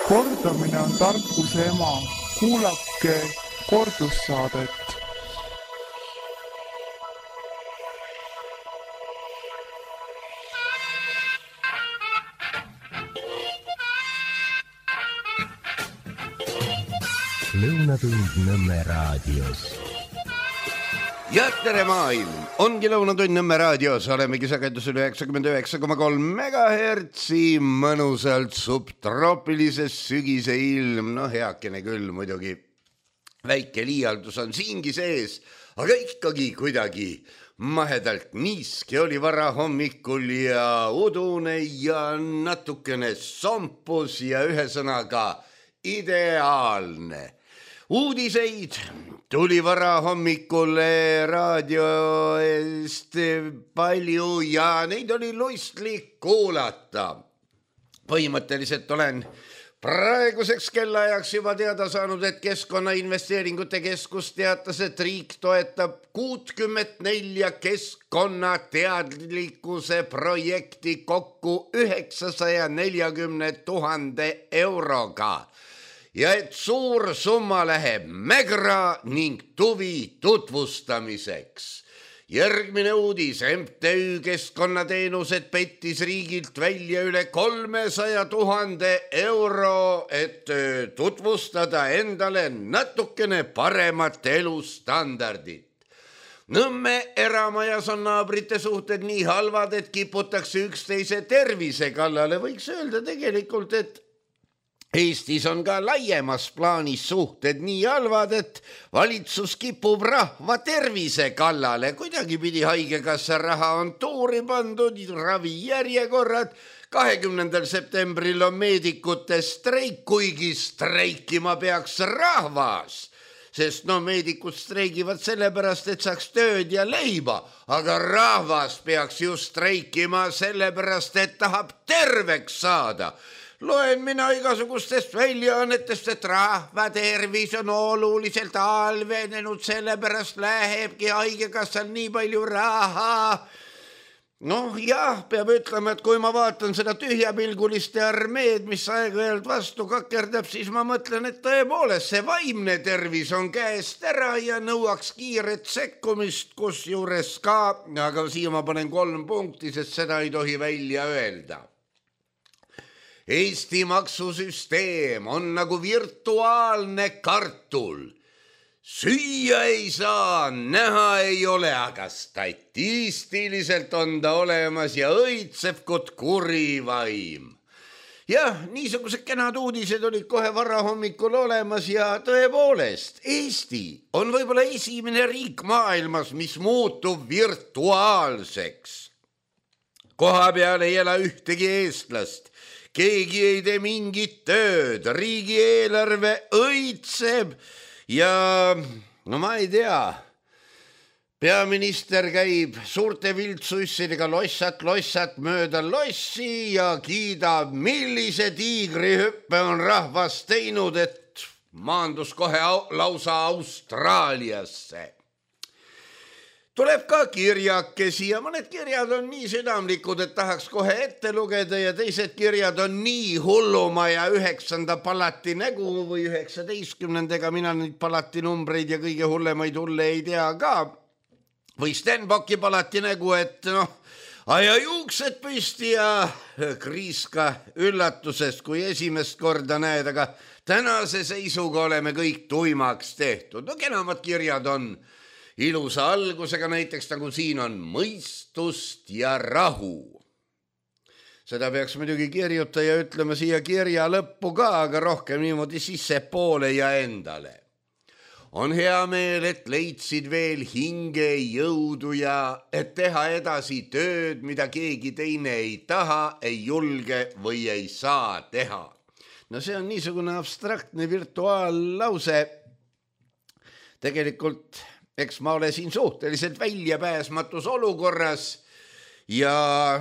Kordamine on tarkuse ema. Kuulake kordussaadet. Lõunatund Nõmme raadios. Ja tere maailm! Ongi Lõunatund Nõmme raadios. Olemegi sagedusel 99,3 megahertsi. Mõnusalt subtroopilises sügise ilm. No heakene küll muidugi. Väike liialdus on siingi sees, aga ikkagi kuidagi mahedalt niiski oli vara hommikul ja udune ja natukene sompus ja ühesõnaga ideaalne. Uudiseid tuli vara hommikul raadio eest palju ja neid oli lustlik kuulata. Põhimõtteliselt olen praeguseks kellaajaks juba teada saanud, et Keskkonnainvesteeringute Keskus teatas, et riik toetab 64 keskkonnateadlikkuse projekti kokku 940 000 euroga. Ja et suur summa läheb Mägra ning Tuvi tutvustamiseks. Järgmine uudis. MTÜ Keskkonnateenused pettis riigilt välja üle 300 000 euro, et tutvustada endale natukene paremat elustandardit. Nõmme eramajas on naabrite suhted nii halvad, et kiputakse üksteise tervise kallale. Võiks öelda tegelikult, et Eestis on ka laiemas plaanis suhted nii halvad, et valitsus kipub rahva tervise kallale. Kuidagi pidi haigekassa raha on tuuri pandud, ravijärjekorrad. 20. septembril on meedikute streik, kuigi streikima peaks rahvas. Sest meedikud streigivad sellepärast, et saaks tööd ja leiba, aga rahvas peaks ju streikima sellepärast, et tahab terveks saada. Loen mina igasugustest väljaannetest, et rahva tervis on oluliselt halvenenud, sellepärast lähebki haigekassal nii palju raha. Jah, peab ütlema, et kui ma vaatan seda tühjapilguliste armeed, mis aeg-ajalt vastu kakerdab, siis ma mõtlen, et tõepoolest see vaimne tervis on käest ära ja nõuaks kiiret sekkumist, kusjuures ka, aga siia ma panen 3 punkti, sest seda ei tohi välja öelda. Eesti maksusüsteem on nagu virtuaalne kartul. Süüa ei saa, näha ei ole, aga statistiliselt on ta olemas ja õitseb kot kurivaim. Jah, niisugused kenad uudised olid kohe vara hommikul olemas ja tõepoolest, Eesti on võib-olla esimene riik maailmas, mis muutub virtuaalseks. Koha peal ei ela ühtegi eestlast. Keegi ei tee mingit tööd, riigieelarve õitseb ja ma ei tea, peaminister käib suurte viltsussidega lossat mööda lossi ja kiidab, millise tiigrihüppe on rahvas teinud, et maandus kohe lausa Austraaliasse. Tuleb ka kirjakesi ja mõned kirjad on nii südamlikud, et tahaks kohe ette lugeda ja teised kirjad on nii hulluma ja 9. palati nägu või 19. Mina neid palati numbreid ja kõige hullemaid hulle ei tea ka. Või Stenbocki palati nägu, et aja juuksed püsti ja kriiska üllatusest, kui esimest korda näed, aga tänase seisuga oleme kõik tuimaks tehtud. Kenamad kirjad on ilusa algusega, näiteks nagu siin on mõistust ja rahu. Seda peaks muidugi kirjutaja ütlema siia kirja lõppu ka, aga rohkem niimoodi sissepoole ja endale. On hea meel, et leidsid veel hinge jõudu ja et teha edasi tööd, mida keegi teine ei taha, ei julge või ei saa teha. See on niisugune abstraktne virtuaallause. Tegelikult eks ma ole siin suhteliselt väljapääsmatus olukorras ja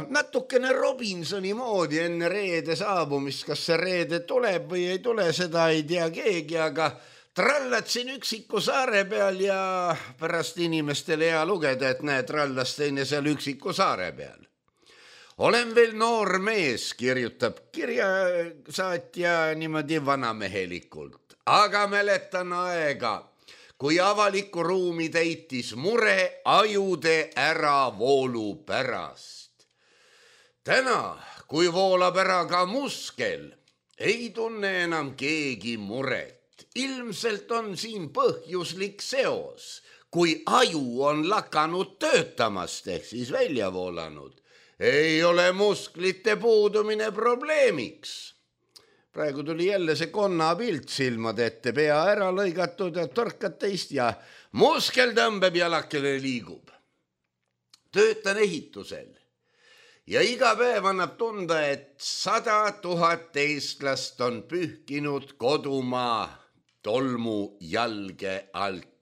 natukene Robinsoni moodi enne reede saabumist. Kas see reede tuleb või ei tule, seda ei tea keegi, aga trallatsin üksiku saare peal ja pärast inimestele hea lugeda, et näe, trallas teine seal üksiku saare peal. olen veel noor mees, kirjutab kirjasaatja niimoodi vanamehelikult, aga mäletan aega, kui avalikku ruumi täitis mure ajude äravoolu pärast. Täna, kui voolab ära ka muskel, ei tunne enam keegi muret. Ilmselt on siin põhjuslik seos, kui aju on lakanud töötamast ehk siis välja voolanud. Ei ole musklite puudumine probleemiks. Praegu tuli jälle see konnapilt silmade ette, pea ära lõigatud ja torkad teist ja muskel tõmbeb jalakele liigub. Töötan ehitusel ja iga päev annab tunda, et 100 000 eestlast on pühkinud kodumaa tolmu jalge alt.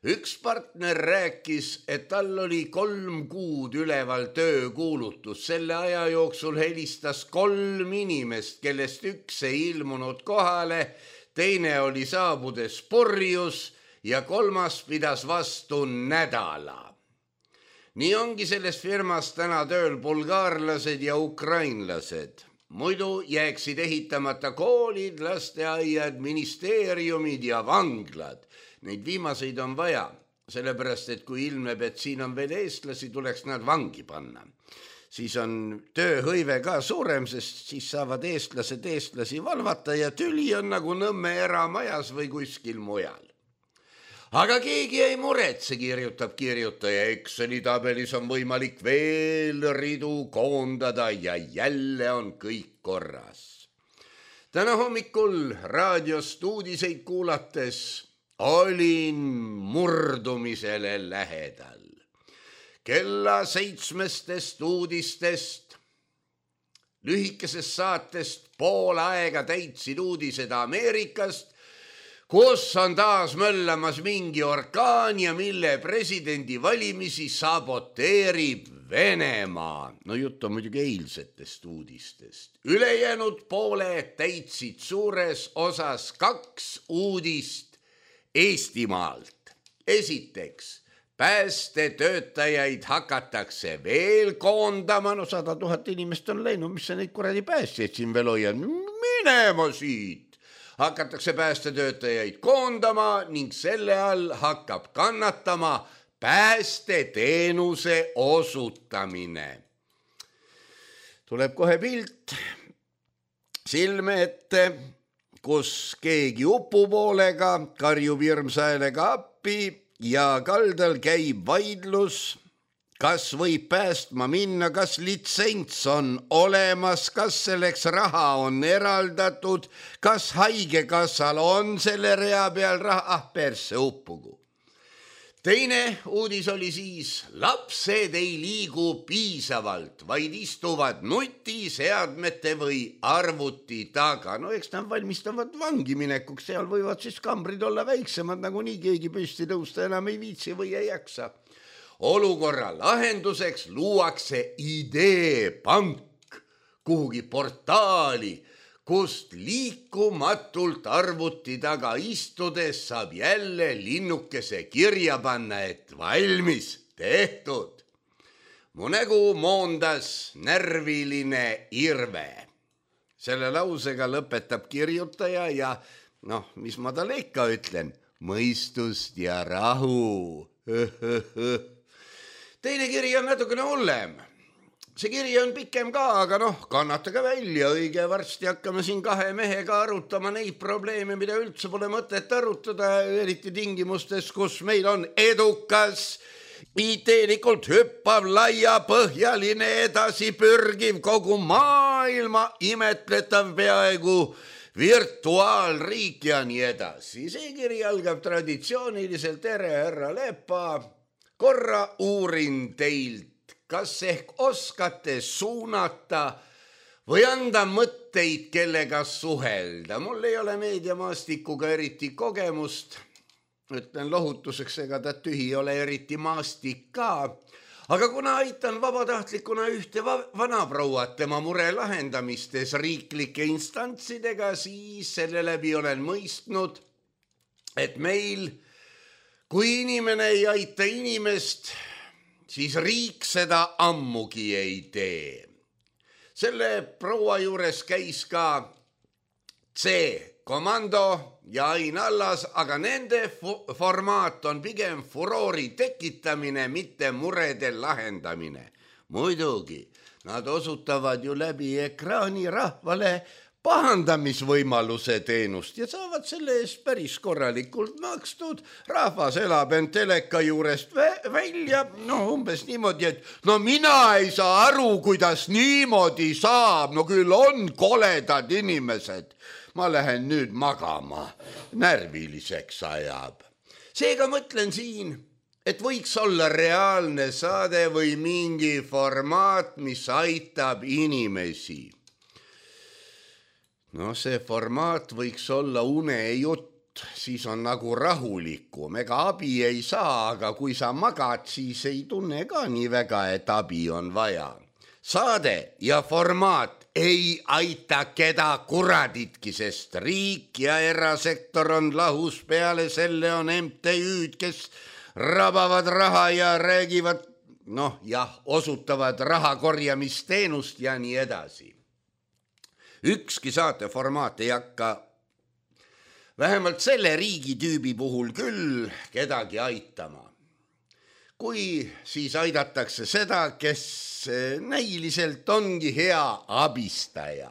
Üks partner rääkis, et tal oli 3 kuud üleval töökuulutus. Selle aja jooksul helistas 3 inimest, kellest üks ei ilmunud kohale, teine oli saabudes purjus ja 3. pidas vastu nädala. Nii ongi selles firmas täna tööl bulgaarlased ja ukrainlased. Muidu jääksid ehitamata koolid, lasteaiad, ministeeriumid ja vanglad. Neid viimaseid on vaja, sellepärast, et kui ilmneb, et siin on veel eestlasi, tuleks nad vangi panna. Siis on tööhõive ka suurem, sest siis saavad eestlased eestlasi valvata ja tüli on nagu Nõmme eramajas või kuskil mujal. Aga keegi ei muretse, kirjutab kirjutaja. Exceli tabelis on võimalik veel ridu koondada ja jälle on kõik korras. Täna hommikul raadiost uudiseid kuulates olin murdumisele lähedal. Kella 7 uudistest, lühikesest saatest pool aega täitsid uudised Ameerikast, kus on taas möllamas mingi orkaan ja mille presidendi valimisi saboteerib Venemaa. No jutt on muidugi eilsetest uudistest. Ülejäänud pooled täitsid suures osas 2 uudist Eestimaalt. Esiteks, päästetöötajaid hakatakse veel koondama. No 100 000 inimest on läinud, mis sa neid kuradi päästjaid siin veel hoiad? Minema siit. Hakatakse päästetöötajaid koondama ning selle all hakkab kannatama päästeteenuse osutamine. Tuleb kohe pilt silme ette, kus keegi upupoolega karjub hirmsäälega appi ja kaldal käib vaidlus, kas võib päästma minna, kas litsents on olemas, kas selleks raha on eraldatud, kas haigekassal on selle rea peal raha, persse uppugu. Teine uudis oli siis, lapsed ei liigu piisavalt, vaid istuvad nutiseadmete või arvuti taga. No eks nad valmistavad vangi minekuks, seal võivad siis kambrid olla väiksemad, nagu nii keegi püsti tõusta enam ei viitsi või ei jaksa. Olukorra lahenduseks luuakse ideepank kuhugi portaali, kust liikumatult arvuti taga istudes saab jälle linnukese kirja panna, et valmis, tehtud. Mu nägu moondas närviline irve. Selle lausega lõpetab kirjutaja ja mis ma talle ikka ütlen, mõistust ja rahu. Teine kiri on natukene hullem. See kiri on pikem ka, aga kannatage välja, õige varsti hakkame siin 2 mehega arutama neid probleeme, mida üldse pole mõtet arutada, eriti tingimustes, kus meil on edukas, ideelikult hüppav, laiapõhjaline, edasipürgiv, kogu maailma imetletav peaaegu virtuaalriik ja nii edasi. See kiri algab traditsiooniliselt, tere härra Lepa, korra uurin teilt, kas ehk oskate suunata või anda mõtteid, kellega suhelda. Mul ei ole meediamaastikuga eriti kogemust. Ütlen lohutuseks, ega ta tühi ole eriti maastik ka. Aga kuna aitan vabatahtlikuna ühte vanaprouat tema mure lahendamistes riiklike instantsidega, siis selle läbi olen mõistnud, et meil, kui inimene ei aita inimest, siis riik seda ammugi ei tee. Selle proua juures käis ka C-komando ja Ain Allas, aga nende formaat on pigem furoori tekitamine, mitte murede lahendamine. Muidugi, nad osutavad ju läbi ekraani rahvale pahandamisvõimaluse teenust ja saavad selle eest päris korralikult makstud. Rahvas elab end teleka juurest välja, umbes niimoodi, et mina ei saa aru, kuidas niimoodi saab, küll on koledad inimesed. Ma lähen nüüd magama, närviliseks ajab. Seega mõtlen siin, et võiks olla reaalne saade või mingi formaat, mis aitab inimesi. See formaat võiks olla unejutt, siis on nagu rahulikum. Ega abi ei saa, aga kui sa magad, siis ei tunne ka nii väga, et abi on vaja. Saade ja formaat ei aita keda kuraditki, sest riik ja erasektor on lahus, peale selle on MTÜ-d, kes rabavad raha ja räägivad, osutavad raha korjamisteenust ja nii edasi. Ükski saateformaat ei hakka, vähemalt selle riigitüübi puhul küll, kedagi aitama. Kui siis aidatakse seda, kes näiliselt ongi hea abistaja.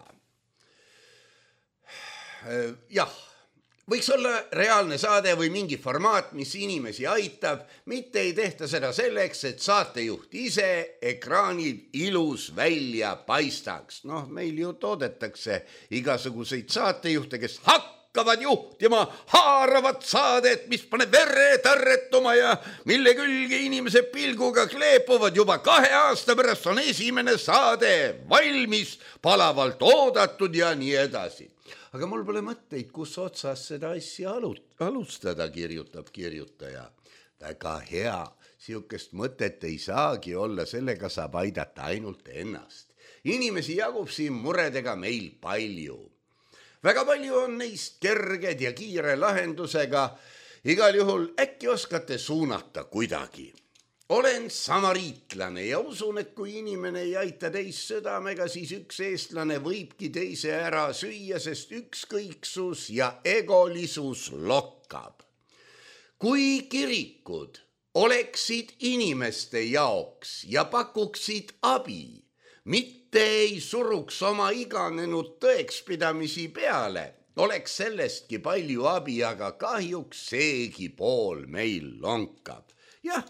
Jah, võiks olla reaalne saade või mingi formaat, mis inimesi aitab, mitte ei tehta seda selleks, et saatejuht ise ekraanil ilus välja paistaks. Meil ju toodetakse igasuguseid saatejuhte, kes hakkavad juhtima haaravat saadet, mis paneb vere tarretuma ja mille külge inimese pilguga kleepuvad. Juba 2 aasta pärast on esimene saade valmis, palavalt oodatud ja nii edasi. Aga mul pole mõtteid, kus otsas seda asja alustada, kirjutab kirjutaja. Väga hea, siukest mõtet ei saagi olla, sellega saab aidata ainult ennast. Inimesi jagub siin muredega meil palju. Väga palju on neist kerged ja kiire lahendusega. Igal juhul äkki oskate suunata kuidagi. Olen samariitlane ja usun, et kui inimene ei aita teist südamega, siis üks eestlane võibki teise ära süüa, sest ükskõiksus ja egolisus lokkab. Kui kirikud oleksid inimeste jaoks ja pakuksid abi, mitte ei suruks oma iganenud tõekspidamisi peale, oleks sellestki palju abi, aga kahjuks seegi pool meil lonkab. Jah,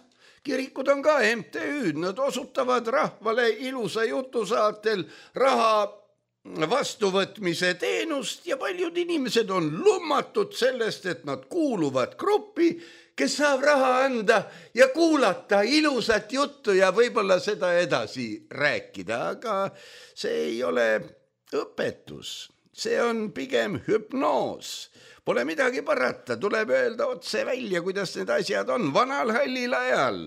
kirikud on ka MTÜ-d, nad osutavad rahvale ilusa jutusaatel raha vastuvõtmise teenust ja paljud inimesed on lummatud sellest, et nad kuuluvad gruppi, kes saab raha anda ja kuulata ilusat juttu ja võib-olla seda edasi rääkida, aga see ei ole õpetus, see on pigem hüpnoos. Pole midagi parata, tuleb öelda otse välja, kuidas need asjad on. Vanal hallil ajal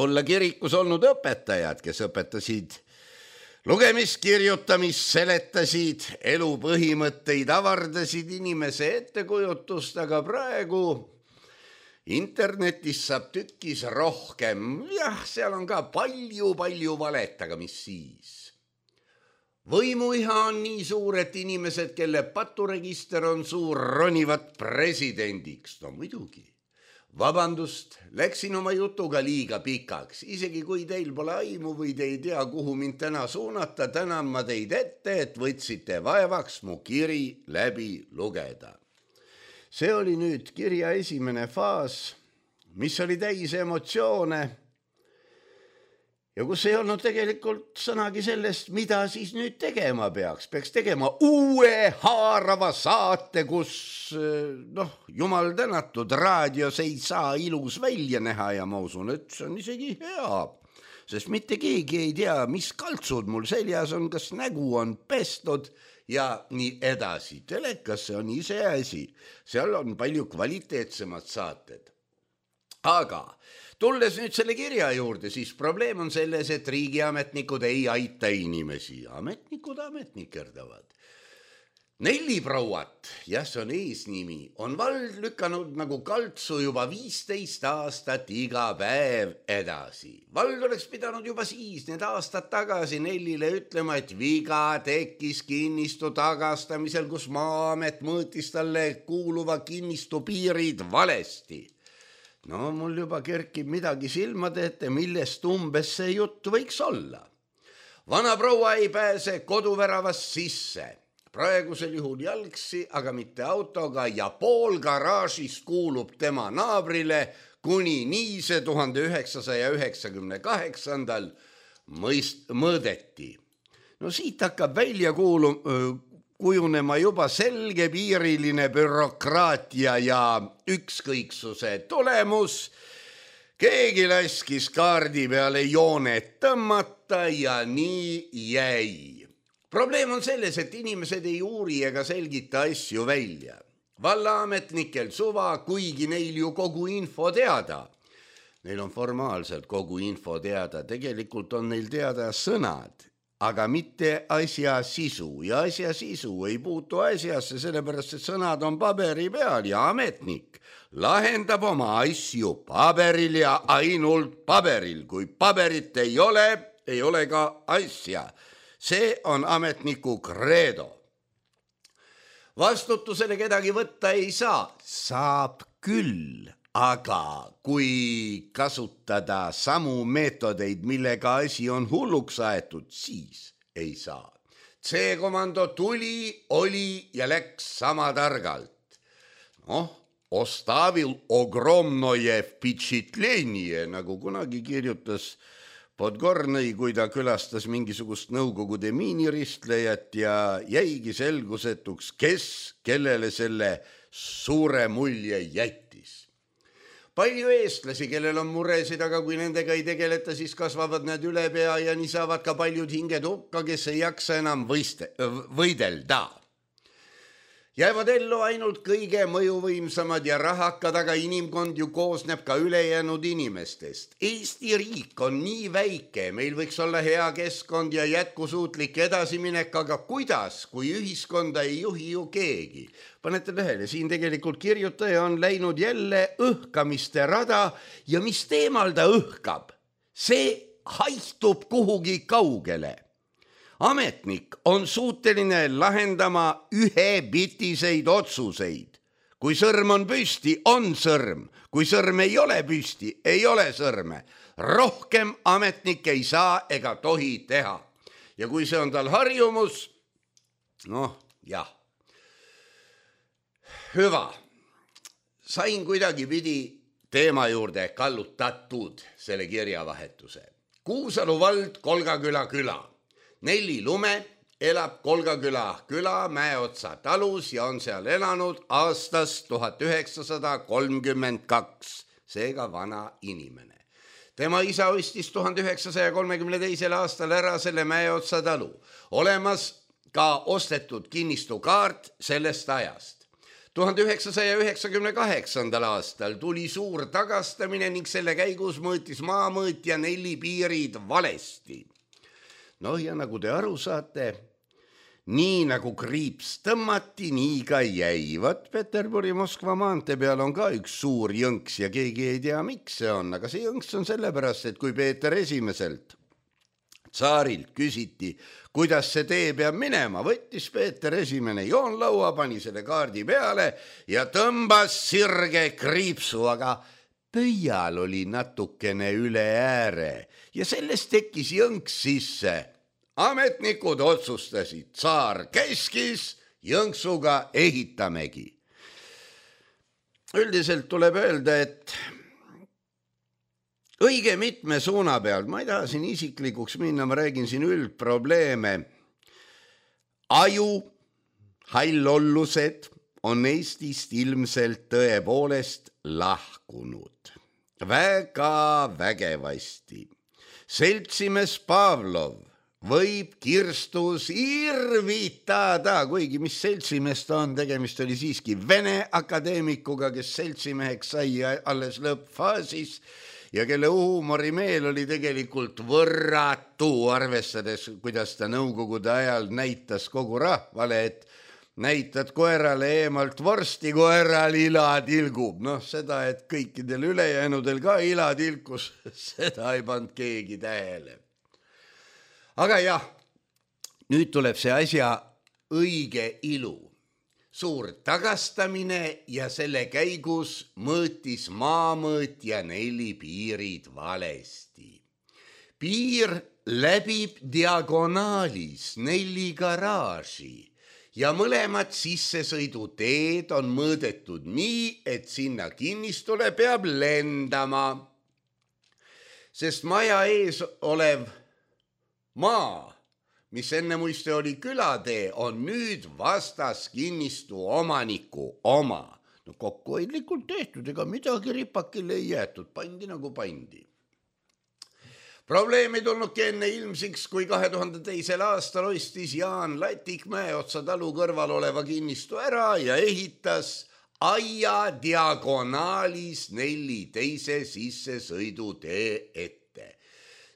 olla kirikus olnud õpetajad, kes õpetasid lugemist, kirjutamist, seletasid, elu põhimõtteid, avardasid inimese ettekujutust, aga praegu internetis saab tükkis rohkem. Jah, seal on ka palju valet, aga mis siis? Võimuiha on nii suur, et inimesed, kelle paturegister on suur, ronivad presidendiks. No muidugi. Vabandust, läksin oma jutuga liiga pikaks. Isegi kui teil pole aimu või te ei tea, kuhu mind täna suunata, tänan ma teid ette, et võtsite vaevaks mu kiri läbi lugeda. See oli nüüd kirja esimene faas, mis oli täis emotsioone ja kus ei olnud tegelikult sõnagi sellest, mida siis nüüd tegema peaks. Peaks tegema uue haarava saate, kus, jumal tänatud, raadios ei saa ilus välja näha ja ma usun, et see on isegi hea. Sest mitte keegi ei tea, mis kaltsud mul seljas on, kas nägu on pestud ja nii edasi. Telekasse on ise asi. Seal on palju kvaliteetsemad saated. Aga tulles nüüd selle kirja juurde, siis probleem on selles, et riigiametnikud ei aita inimesi. Ametnikud ametnikerdavad. Nelliprouat, jah, see on eesnimi, on vald lükanud nagu kaltsu juba 15 aastat iga päev edasi. Vald oleks pidanud juba siis need aastad tagasi Nellile ütlema, et viga tekkis kinnistu tagastamisel, kus Maa-amet mõõtis talle kuuluva kinnistu piirid valesti. No mul juba kerkib midagi silmade ette, millest umbes see jutt võiks olla. Vana proua ei pääse koduväravast sisse. Praegusel juhul jalgsi, aga mitte autoga ja pool garaažist kuulub tema naabrile, kuni nii see 1998. mõõdeti. No siit hakkab välja kujunema juba selgepiiriline bürokraatia ja ükskõiksuse tulemus. Keegi laskis kaardi peale joonet tõmmata ja nii jäi. Probleem on selles, et inimesed ei uuri ega selgita asju välja. Vallaametnikel suva, kuigi neil ju kogu info teada. Neil on formaalselt kogu info teada, tegelikult on neil teada sõnad, aga mitte asja sisu. Ja asja sisu ei puutu asjasse, sellepärast et sõnad on paberi peal ja ametnik lahendab oma asju paberil ja ainult paberil. Kui paberit ei ole ka asja. See on ametniku kreedo. Vastutusele kedagi võtta ei saa. Saab küll, aga kui kasutada samu meetodeid, millega asi on hulluks aetud, siis ei saa. C-komando tuli, oli ja läks sama targalt. Ostavil ogromnoje vpetšitlenie, nagu kunagi kirjutas Podgornõi, kui ta külastas mingisugust Nõukogude miiniristlejat ja jäigi selgusetuks, kes kellele selle suure mulje jättis. Palju eestlasi, kellel on muresid, aga kui nendega ei tegeleta, siis kasvavad need üle pea ja nii saavad ka paljud hinged hukka, kes ei jaksa enam võidelda. Jäävad ellu ainult kõige mõjuvõimsamad ja rahakad, aga inimkond ju koosneb ka ülejäänud inimestest. Eesti riik on nii väike, meil võiks olla hea keskkond ja jätkusuutlik edasiminek, aga kuidas, kui ühiskonda ei juhi ju keegi? Panete tähele, siin tegelikult kirjutaja on läinud jälle õhkamiste rada ja mis teemal ta õhkab? See haihtub kuhugi kaugele. Ametnik on suuteline lahendama ühebitiseid otsuseid. Kui sõrm on püsti, on sõrm. Kui sõrm ei ole püsti, ei ole sõrme. Rohkem ametnik ei saa ega tohi teha. Ja kui see on tal harjumus, jah. Hyvä. Sain kuidagi pidi teema juurde kallutatud selle kirjavahetuse. Kuusalu vald, Kolgaküla küla. Nelli Lume elab Kolgaküla küla Mäeotsa talus ja on seal elanud aastast 1932, seega vana inimene. Tema isa ostis 1932. aastal ära selle Mäeotsa talu. Olemas ka ostetud kinnistukaart sellest ajast. 1998. aastal tuli suur tagastamine ning selle käigus mõõtis maamõõtja Nelli piirid valesti. Ja nagu te aru saate, nii nagu kriips tõmmati, nii ka jäi. Peterburi-Moskva maantee peal on ka üks suur jõnks ja keegi ei tea, miks see on. Aga see jõnks on sellepärast, et kui Peeter Esimeselt tsaarilt küsiti, kuidas see tee peab minema, võttis Peeter Esimene joonlaua, pani selle kaardi peale ja tõmbas sirge kriipsu, aga pöial oli natukene üle ääre ja sellest tekkis jõnks sisse. Ametnikud otsustasid, tsaar käskis, jõnksuga ehitamegi. Üldiselt tuleb öelda, et õige mitme suuna peal, ma ei taha siin isiklikuks minna, ma räägin siin üldprobleeme. Aju, hallollused on Eestist ilmselt tõepoolest lahkunud. Väga vägevasti. Seltsimees Pavlov võib kirstus irvitada, kuigi mis seltsimees ta on, tegemist oli siiski Vene akadeemikuga, kes seltsimeheks sai alles lõppfaasis ja kelle huumorimeel oli tegelikult võrratu, arvestades, kuidas ta Nõukogude ajal näitas kogu rahvale, et näitad koerale eemalt vorsti, koeral ila tilgub. Noh, seda, et kõikidel ülejäänudel ka ila tilkus, seda ei pannud keegi tähele. Aga jah, nüüd tuleb see asja õige ilu. Suur tagastamine ja selle käigus mõõtis maamõõtja 4 piirid valesti. Piir läbib diagonaalis 4 garaaži ja mõlemad sissesõiduteed on mõõdetud nii, et sinna kinnistule peab lendama. Sest maja ees olev maa, mis enne muiste oli külatee, on nüüd vastas kinnistu omaniku oma. No kokkuhoidlikult tehtud, ega midagi ripakile ei jäetud, pandi nagu pandi. Probleem ei tulnudki enne ilmsiks, kui 2002. aastal ostis Jaan Latik Mäeotsa talu kõrval oleva kinnistu ära ja ehitas aia diagonaalis 4 teise sissesõidutee ette.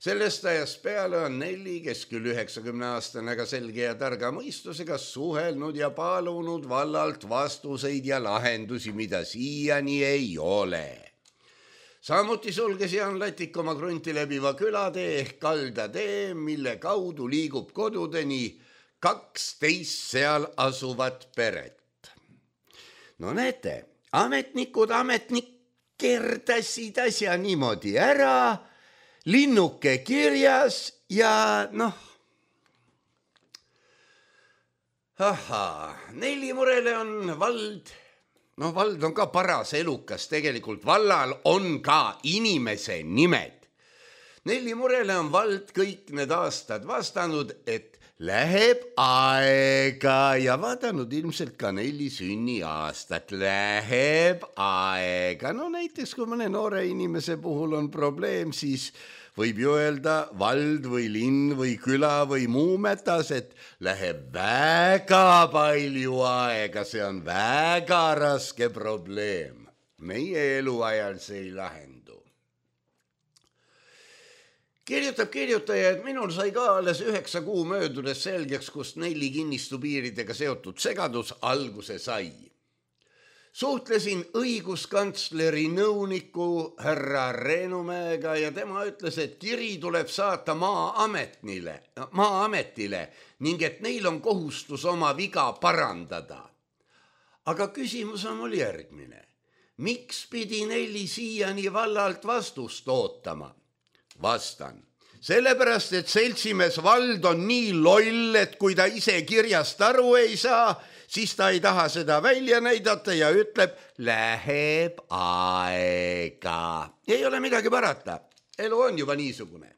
Sellest ajast peale on Nelli, kes küll 90-aastane, aga selge ja targa mõistusega suhelnud ja palunud vallalt vastuseid ja lahendusi, mida siiani ei ole. Samuti sulges Jaan Latik oma krunti läbiva külatee ehk kaldatee, mille kaudu liigub kodudeni 12 seal asuvat peret. No näete, ametnikud kerdasid asja niimoodi ära, linnuke kirjas ja noh. Nelli murele on vald, vald on ka paras elukas, tegelikult vallal on ka inimese nimed. Nelli murele on vald kõik need aastad vastanud, et läheb aega ja vaadanud ilmselt ka Nelli sünniaastat. Läheb aega. No näiteks, kui mõne noore inimese puhul on probleem, siis võib ju öelda vald või linn või küla või muu metas, et läheb väga palju aega. See on väga raske probleem. Meie eluajal see ei lahendu. Kirjutab kirjutaja, et minul sai ka alles 9 kuu möödudes selgeks, kust Nelli kinnistu piiridega seotud segadus alguse sai. Suhtlesin õiguskantsleri nõuniku härra Reenumäega ja tema ütles, et kiri tuleb saata Maa-ametile ning et neil on kohustus oma viga parandada. Aga küsimus on mul järgmine. Miks pidi Nelli siiani vallalt vastust ootama? Vastan. Sellepärast, et seltsimees vald on nii loll, et kui ta ise kirjast aru ei saa, siis ta ei taha seda välja näidata ja ütleb, läheb aega. Ei ole midagi parata. Elu on juba niisugune.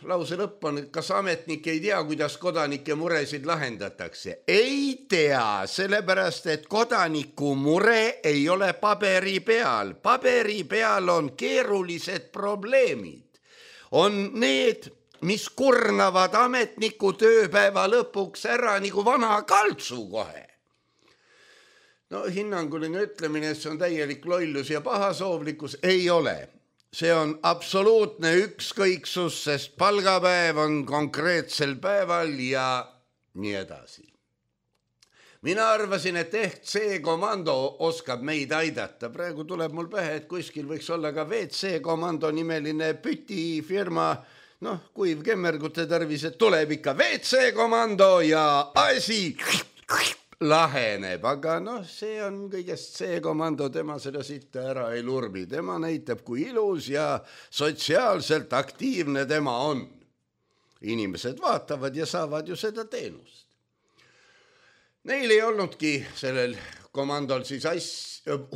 Lause lõpp on, et kas ametnik ei tea, kuidas kodanike muresid lahendatakse? Ei tea, sellepärast, et kodaniku mure ei ole paberi peal. Paberi peal on keerulised probleemid. On need, mis kurnavad ametniku tööpäeva lõpuks ära nagu vana kaltsu kohe. Hinnanguline ütlemine, et see on täielik lollus ja pahasoovlikkus, ei ole. See on absoluutne ükskõiksus, sest palgapäev on konkreetsel päeval ja nii edasi. Mina arvasin, et ehk C-komando oskab meid aidata. Praegu tuleb mul pähe, et kuskil võiks olla ka WC-komando nimeline pütifirma, kuiv kemmergute tarvis, et tuleb ikka WC-komando ja asi laheneb, aga see on kõigest C-komando, tema seda sitta ära ei lurbi. Tema näitab, kui ilus ja sotsiaalselt aktiivne tema on. Inimesed vaatavad ja saavad ju seda teenust. Neil ei olnudki sellel komandol siis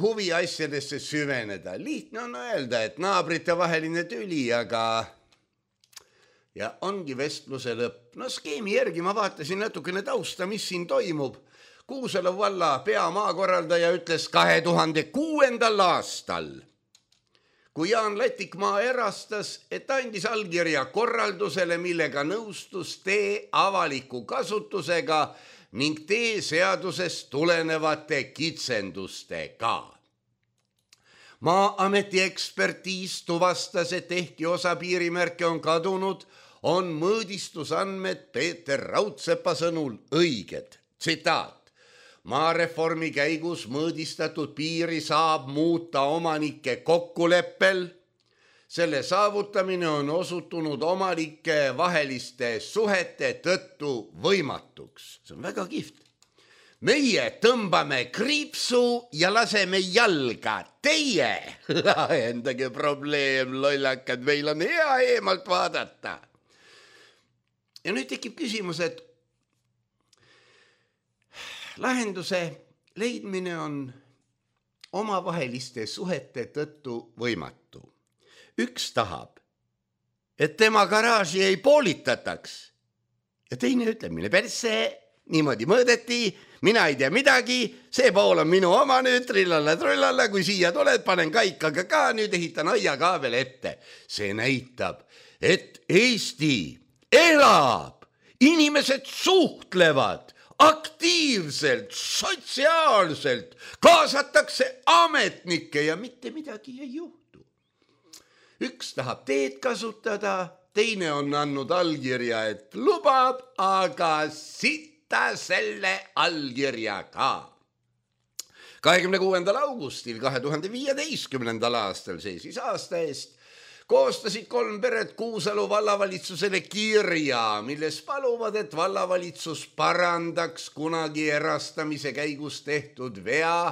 huvi asjadesse süveneda. Lihtne on öelda, et naabrite vaheline tüli, aga ja ongi vestluse lõpp. Skeemi järgi ma vaatasin natukene tausta, mis siin toimub. Kuusalu valla peamaakorraldaja ütles 2006. aastal, kui Jaan Latik maa erastas, et andis allkirja korraldusele, millega nõustus tee avaliku kasutusega ning tee seadusest tulenevate kitsendustega. Maa-ameti ekspertiis tuvastas, et ehkki osa piirimärke on kadunud, on mõõdistusandmed Peeter Raudsepa sõnul õiged. Tsitaat. Maareformi käigus mõõdistatud piiri saab muuta omanike kokkuleppel. Selle saavutamine on osutunud omanike vaheliste suhete tõttu võimatuks. See on väga kihvt. Meie tõmbame kriipsu ja laseme jalga. Teie lahendage probleem, lollakad, meil on hea eemalt vaadata. Ja nüüd tekib küsimus, et lahenduse leidmine on omavaheliste suhete tõttu võimatu. Üks tahab, et tema garaaži ei poolitataks. Ja teine ütleb, mine persse, niimoodi mõõdeti, mina ei tea midagi, see pool on minu oma nüüd, trillalla, kui siia tuled, panen kaikaga ka, nüüd ehitan aiakaabel ette. See näitab, et Eesti elab, inimesed suhtlevad aktiivselt, sotsiaalselt, kaasatakse ametnikke ja mitte midagi ei juhtu. Üks tahab teed kasutada, teine on andnud allkirja, et lubab, aga sitta selle allkirja ka. 26. augustil 2015. aastal, see siis aasta eest, koostasid 3 peret Kuusalu vallavalitsusele kirja, milles paluvad, et vallavalitsus parandaks kunagi erastamise käigus tehtud vea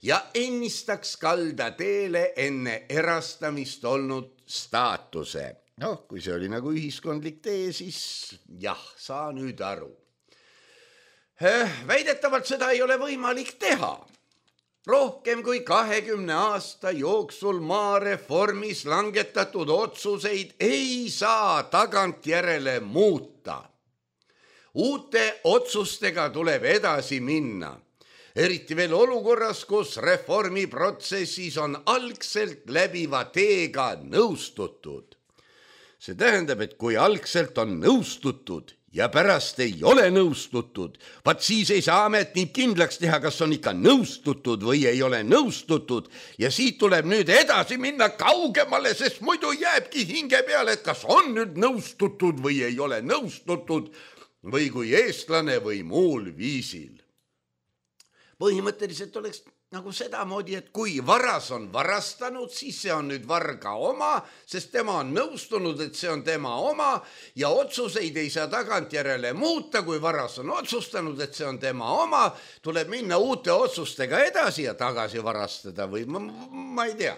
ja ennistaks kalda teele enne erastamist olnud staatuse. Kui see oli nagu ühiskondlik tee, siis jah, saa nüüd aru. Väidetavalt seda ei ole võimalik teha. Rohkem kui 20 aasta jooksul maareformis langetatud otsuseid ei saa tagantjärele muuta. Uute otsustega tuleb edasi minna. Eriti veel olukorras, kus reformiprotsessis on algselt läbiva teega nõustutud. See tähendab, et kui algselt on nõustutud ja pärast ei ole nõustutud, vaat siis ei saa ametnik kindlaks teha, kas on ikka nõustutud või ei ole nõustutud ja siit tuleb nüüd edasi minna kaugemale, sest muidu jääbki hinge peale, et kas on nüüd nõustutud või ei ole nõustutud või kui eestlane või muul viisil. Põhimõtteliselt oleks nagu sedamoodi, et kui varas on varastanud, siis see on nüüd varga oma, sest tema on nõustunud, et see on tema oma ja otsuseid ei saa tagantjärele muuta, kui varas on otsustanud, et see on tema oma, tuleb minna uute otsustega edasi ja tagasi varastada või ma ei tea.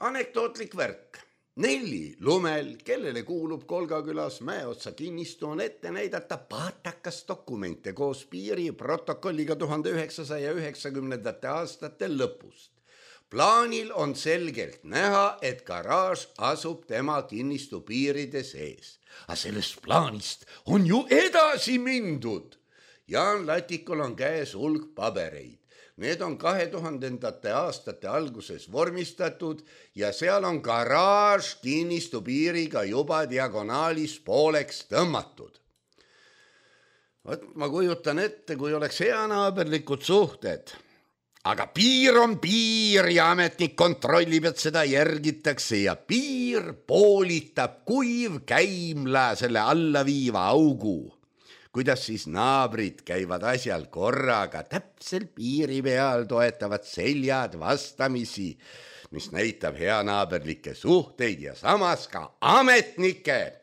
Anekdootlik värk. Nelli Lumel, kellele kuulub Kolgakülas Mäeotsa kinnistu, on ette näidata paatakas dokumente koos piiri protokolliga 1990. aastate lõpust. Plaanil on selgelt näha, et garaaž asub tema kinnistu piiride sees. Aga sellest plaanist on ju edasi mindud. Jaan Latikul on käes hulk pabereid. Need on 2000. aastate alguses vormistatud ja seal on garaaž kinnistu piiriga juba diagonaalis pooleks tõmmatud. Ma kujutan ette, kui oleks heanaaberlikud suhted. Aga piir on piir ja ametnik kontrollib, et seda järgitakse ja piir poolitab kuiv käimla selle allaviiva augu. Kuidas siis naabrid käivad asjal korraga täpselt piiri peal, toetavad seljad vastamisi, mis näitab heanaaberlikke suhteid ja samas ka ametnike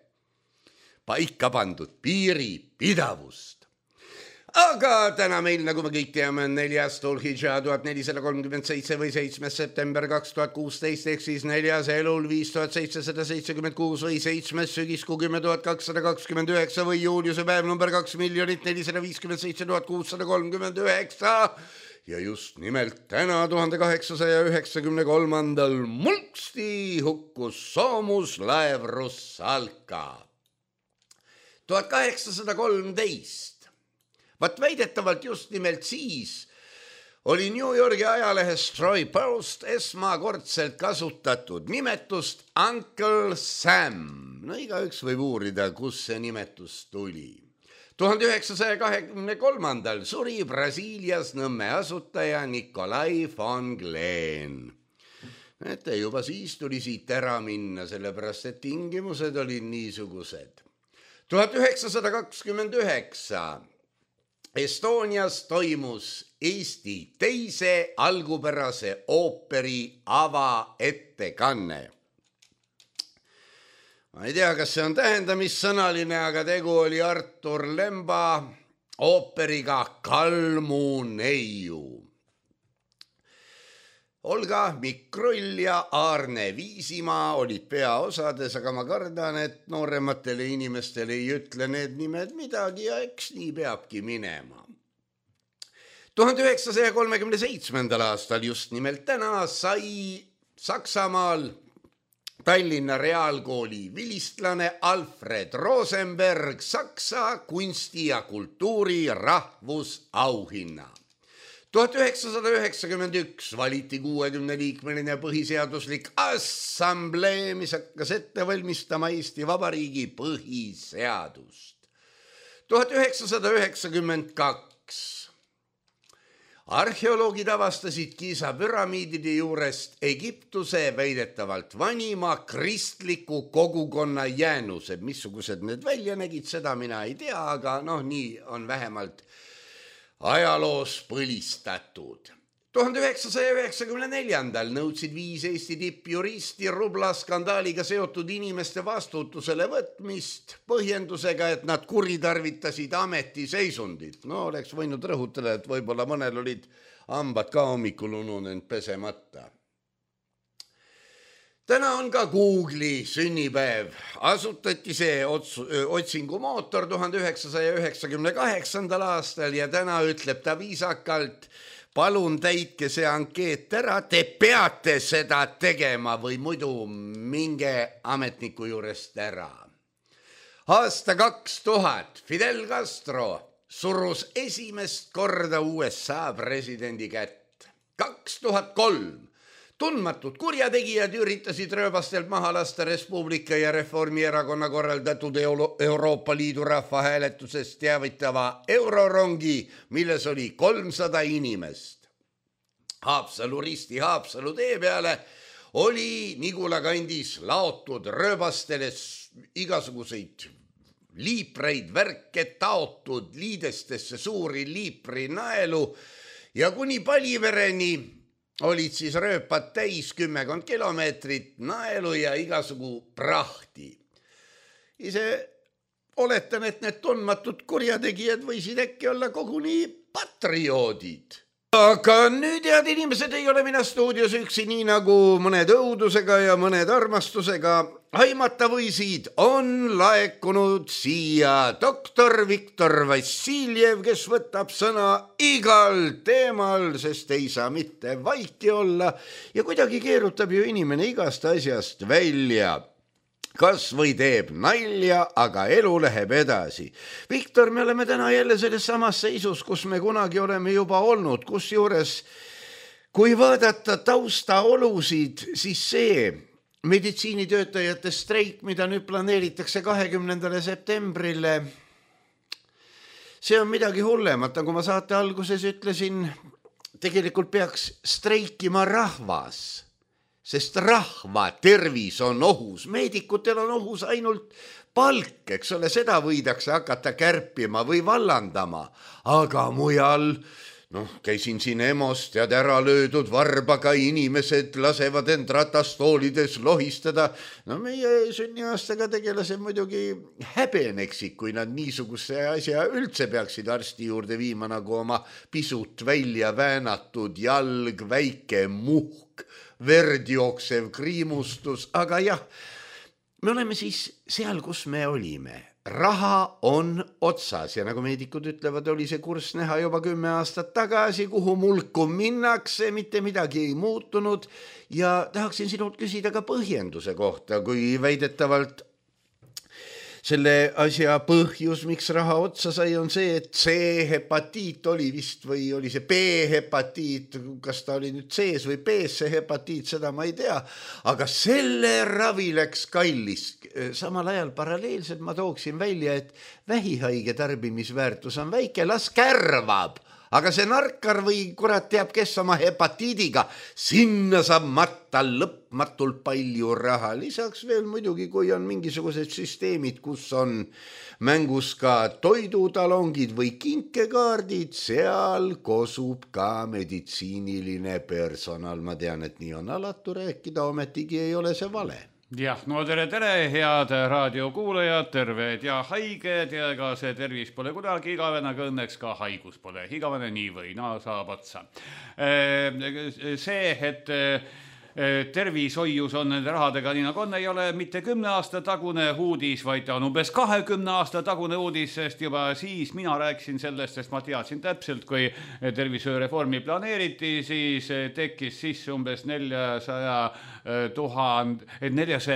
paika pandud piiri pidavust. Aga täna meil, nagu me kõik teame, on 4. Dhul-Hidža 1437 või 7. september 2016 ehk siis 4. Elul 5776 või 7. sügiskuu 10.229 või juuliuse päev number 2,457,639 ja just nimelt täna 1893. mulksti hukkus soomuslaev Russalka. 1813. Vaat väidetavalt just nimelt siis oli New Yorgi ajalehes Troy Post esmakordselt kasutatud nimetust Uncle Sam. No igaüks võib uurida, kus see nimetus tuli. 1923. suri Brasiilias Nõmme asutaja Nikolai von Glen. Näete, juba siis tuli siit ära minna, sellepärast et tingimused olid niisugused. 1929 Estonias toimus Eesti teise algupärase ooperi avaettekanne. Ma ei tea, kas see on tähendamissõnaline, aga tegu oli Artur Lemba ooperiga Kalmuneiu. Olga Mikrull ja Aarne Viisimaa olid peaosades, aga ma kardan, et noorematele inimestele ei ütle need nimed midagi ja eks nii peabki minema. 1937. aastal just nimelt täna sai Saksamaal Tallinna Reaalkooli vilistlane Alfred Rosenberg Saksa kunsti ja kultuuri rahvusauhinna. 1991 valiti 60-liikmeline põhiseaduslik assamblee, mis hakkas ette valmistama Eesti Vabariigi põhiseadust. 1992 arheoloogid avastasid Giza püramiidide juurest Egiptuse väidetavalt vanima kristliku kogukonna jäänused. Missugused need välja nägid, seda mina ei tea, aga nii on vähemalt ajaloos põlistatud. 1994 nõudsid 5 Eesti tippjuristi Rubla skandaaliga seotud inimeste vastutusele võtmist põhjendusega, et nad kuritarvitasid ametiseisundit. Oleks võinud rõhutada, et võib-olla mõnel olid hambad ka hommikul ununenud pesemata. Täna on ka Google'i sünnipäev. Asutati see otsingumootor 1998. aastal ja täna ütleb ta viisakalt, palun täitke see ankeet ära, te peate seda tegema või muidu minge ametniku juurest ära. Aasta 2000 Fidel Castro surus esimest korda USA presidendi kätt. 2003 tundmatud kurjategijad üritasid rööbastelt maha lasta Res Publica ja Reformierakonna korraldatud Euroopa Liidu rahvahääletusest teavitava eurorongi, milles oli 300 inimest. Risti Haapsalu tee peale oli Nigula kandis laotud rööbastele igasuguseid liipreid, värke taotud liidestesse suuri liiprinaelu ja kuni Palivereni olid siis rööpad täis 10 kilomeetrit naelu ja igasugu prahti. Ise oletan, et need tundmatud kurjategijad võisid äkki olla koguni patrioodid. Aga nüüd, head inimesed, ei ole mina stuudios üksi, nii nagu mõned õudusega ja mõned armastusega aimata võisid, on laekunud siia doktor Viktor Vassiljev, kes võtab sõna igal teemal, sest ei saa mitte vaiki olla ja kuidagi keerutab ju inimene igast asjast välja. Kas või teeb nalja, aga elu läheb edasi. Viktor, me oleme täna jälle selles samas seisus, kus me kunagi oleme juba olnud, kusjuures kui vaadata taustaolusid, siis see meditsiinitöötajate streik, mida nüüd planeeritakse 20. septembrile, see on midagi hullemat, nagu ma saate alguses ütlesin, tegelikult peaks streikima rahvas. Sest rahva tervis on ohus, meedikutel on ohus ainult palk, eks ole, seda võidakse hakata kärpima või vallandama, aga mujal, käisin siin EMO-st ja ära löödud varbaga inimesed lasevad end ratastoolides lohistada. Meie sünniaastaga tegelased muidugi häbeneksid, kui nad niisuguse asja üldse peaksid arsti juurde viima, nagu oma pisut välja väänatud jalg, väike muhk, verd jooksev kriimustus, aga jah, me oleme siis seal, kus me olime. Raha on otsas ja nagu meedikud ütlevad, oli see kurss näha juba 10 aastat tagasi, kuhu mulku minnakse, mitte midagi ei muutunud ja tahaksin sinult küsida ka põhjenduse kohta, kui väidetavalt selle asja põhjus, miks raha otsa sai, on see, et C-hepatiit oli vist või oli see B-hepatiit, kas ta oli nüüd C-s või B-s see hepatiit, seda ma ei tea, aga selle ravi läks kallis. Samal ajal paralleelselt ma tooksin välja, et vähihaige tarbimisväärtus on väike, las kärvab, aga see narkar või kurat teab, kes oma hepatiidiga, sinna saab matta lõpmatult palju raha. Lisaks veel muidugi, kui on mingisugused süsteemid, kus on mängus ka toidutalongid või kinkekaardid, seal kosub ka meditsiiniline personal. Ma tean, et nii on alatu rääkida, ometigi ei ole see vale. Jah, no tere, head raadiokuulajad, terved ja haiged ja ega see tervis pole kunagi igavene, aga õnneks ka haigus pole igavene, nii või naa saab otsa. See, et tervishoius on nende rahadega nii nagu on, ei ole mitte 10 aasta tagune uudis, vaid on umbes 20 aasta tagune uudis, sest juba siis mina rääkisin sellest, sest ma teadsin täpselt, kui tervishoiureformi planeeriti, siis tekkis sisse umbes 400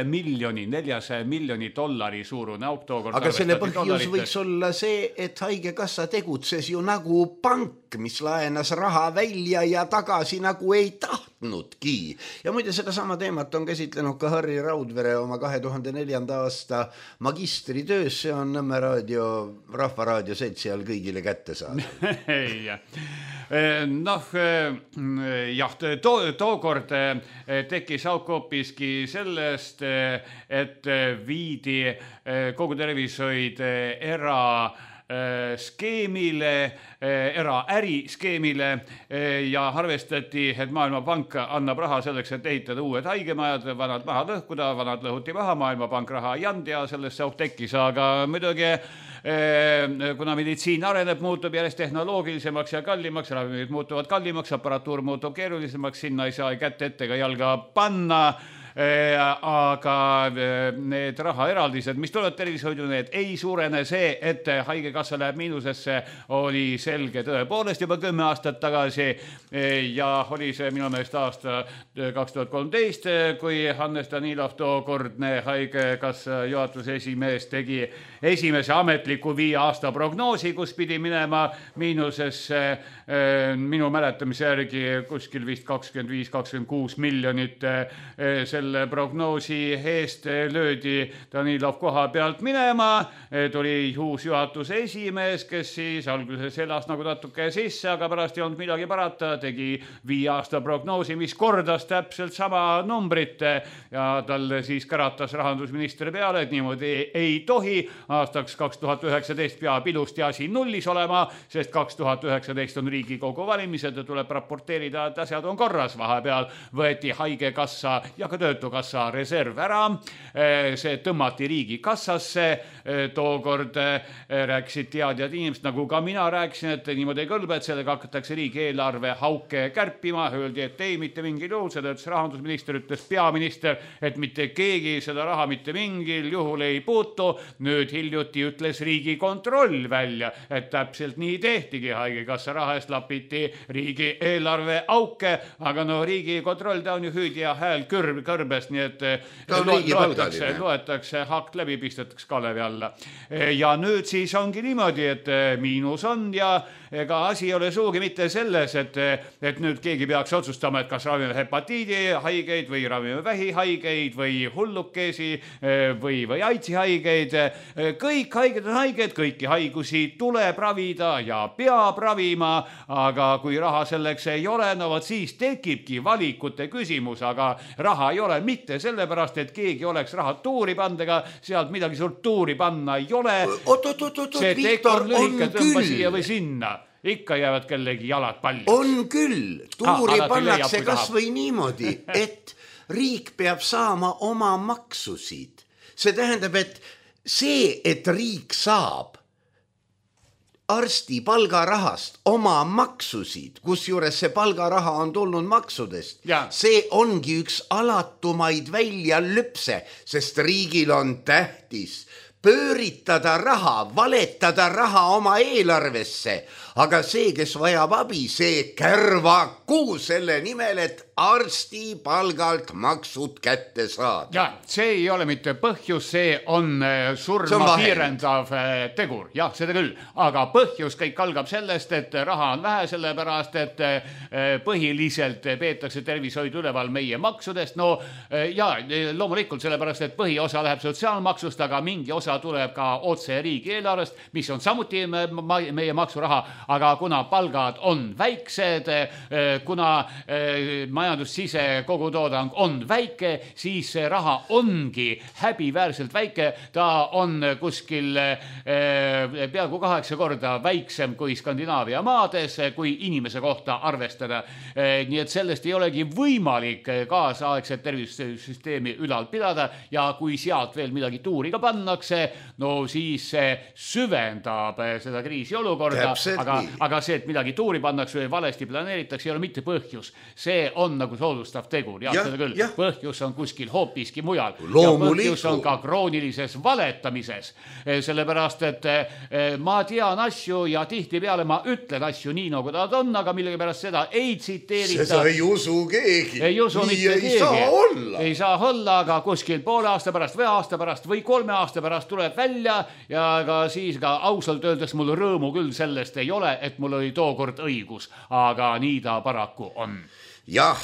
miljoni dollari suurune auk tookord. Aga selle põhjus võiks olla see, et haigekassa tegutses ju nagu pank, mis laenas raha välja ja tagasi nagu ei tahtnudki. Ja muide seda sama teemat on käsitlenud ka Harri Raudvere oma 2004. aasta magistritöös, see on Nõmme raadio, Rahvaraadio seltsi all kõigile kätte saada. Tookord tekkis auk hoopiski sellest, et viidi kogu tervishoid äriskeemile ja arvestati, et Maailmapank annab raha selleks, et ehitada uued haigemajad, vanad maha lõhkuda, vanad lõhuti maha, Maailmapank raha ei and ja sellest see auk tekkis, aga muidugi kuna meditsiin areneb, muutub järjest tehnoloogilisemaks ja kallimaks, ravimid muutuvad kallimaks, aparatuur muutub keerulisemaks, sinna ei saa kätt ette ega jalga panna, aga need rahaeraldised, mis tulevad tervishoidu, need ei suurene. See, et haigekassa läheb miinusesse, oli selge tõepoolest juba 10 aastat tagasi ja oli see minu meelest aasta 2013, kui Hannes Danilov, tookordne haigekassa juhatuse esimees, tegi esimese ametliku 5 aasta prognoosi, kus pidi minema miinusesse minu mäletamise järgi kuskil vist 25-26 miljonit. Selle prognoosi eest löödi Danilov koha pealt minema, tuli uus juhatuse esimees, kes siis alguses elas nagu natuke sisse, aga pärast ei olnud midagi parata, tegi 5 aasta prognoosi, mis kordas täpselt sama numbrit ja talle siis käratas rahandusministri peale, et niimoodi ei tohi, aastaks 2019 peab ilusti asi nullis olema, sest 2019 on Riigikogu valimised ja tuleb raporteerida, et asjad on korras. Vahepeal võeti haigekassa ja ka töötukassa reserv ära, see tõmmati riigikassasse, tookord rääkisid teadjad inimesed, nagu ka mina rääkisin, et niimoodi ei kõlbe, et sellega hakatakse riigieelarve hauke kärpima, öeldi, et ei, mitte mingil juhul, seda ütles rahandusminister, ütles peaminister, et mitte keegi seda raha mitte mingil juhul ei puutu. Nüüd hiljuti ütles Riigikontroll välja, et täpselt nii tehtigi, haigekassa raha eest lapiti riigieelarve auke, aga no Riigikontroll, ta on ju hüüdja hääl kõrbest, nii et loetakse hakt läbi, pistetakse kalevi alla. Ja nüüd siis ongi niimoodi, et miinus on ja ega asi ei ole suugi mitte selles, et nüüd keegi peaks otsustama, et kas ravime hepatiidi haigeid või ravime vähihaigeid või hullukesi või AIDSi haigeid. Kõik haiged on haiged, kõiki haigusi tuleb ravida ja peab ravima, aga kui raha selleks ei ole, no võt siis tekibki valikute küsimus, aga raha ei ole mitte sellepärast, et keegi oleks raha tuuri pandega, sealt midagi suurt tuuri panna ei ole. See tekor lühike tõmba siia või sinna. Ikka jäävad kellegi jalad palju. On küll. Tuuri pannakse kas või niimoodi, et riik peab saama oma maksusid. See tähendab, et see, et riik saab arsti palgarahast oma maksusid, kusjuures see palgaraha on tulnud maksudest, see ongi üks alatumaid väljalüpse, sest riigil on tähtis pööritada raha, valetada raha oma eelarvesse, aga see, kes vajab abi, see kärvaku selle nimel, et arsti palgalt maksud kätte saada. Ja, see ei ole mitte põhjus, see on surma kiirendav tegur. Jah, seda küll. Aga põhjus kõik algab sellest, et raha on vähe, sellepärast, et põhiliselt peetakse tervishoidu üleval meie maksudest. No ja loomulikult sellepärast, et põhiosa läheb sotsiaalmaksust, aga mingi osa osa tuleb ka otse riigieelarvest, mis on samuti meie maksuraha, aga kuna palgad on väiksed, kuna majandussise kogutoodang on väike, siis see raha ongi häbiväärselt väike, ta on kuskil peaaegu 8 korda väiksem kui Skandinaavia maades, kui inimese kohta arvestada. Nii et sellest ei olegi võimalik kaasaegset tervisesüsteemi ülal pidada ja kui sealt veel midagi tuuri ka pannakse, no siis see süvendab seda kriisiolukorda, aga see, et midagi tuuri pannakse või valesti planeeritakse, ei ole mitte põhjus. See on nagu soodustav tegur, seda küll. Põhjus on kuskil hoopiski mujal. Ja põhjus on ka kroonilises valetamises, sellepärast, et ma tean asju ja tihti peale ma ütlen asju nii, nagu nad on, aga millegi pärast seda ei tsiteerita. Seda ei usu keegi. Ei usu mitte keegi. Saa olla. Ei saa olla, aga kuskil poole aasta pärast või aasta pärast või 3 aasta pärast tuleb välja ja ka siis ka ausalt öeldes mul rõõmu küll sellest ei ole, et mul oli tookord õigus, aga nii ta paraku on. Jah,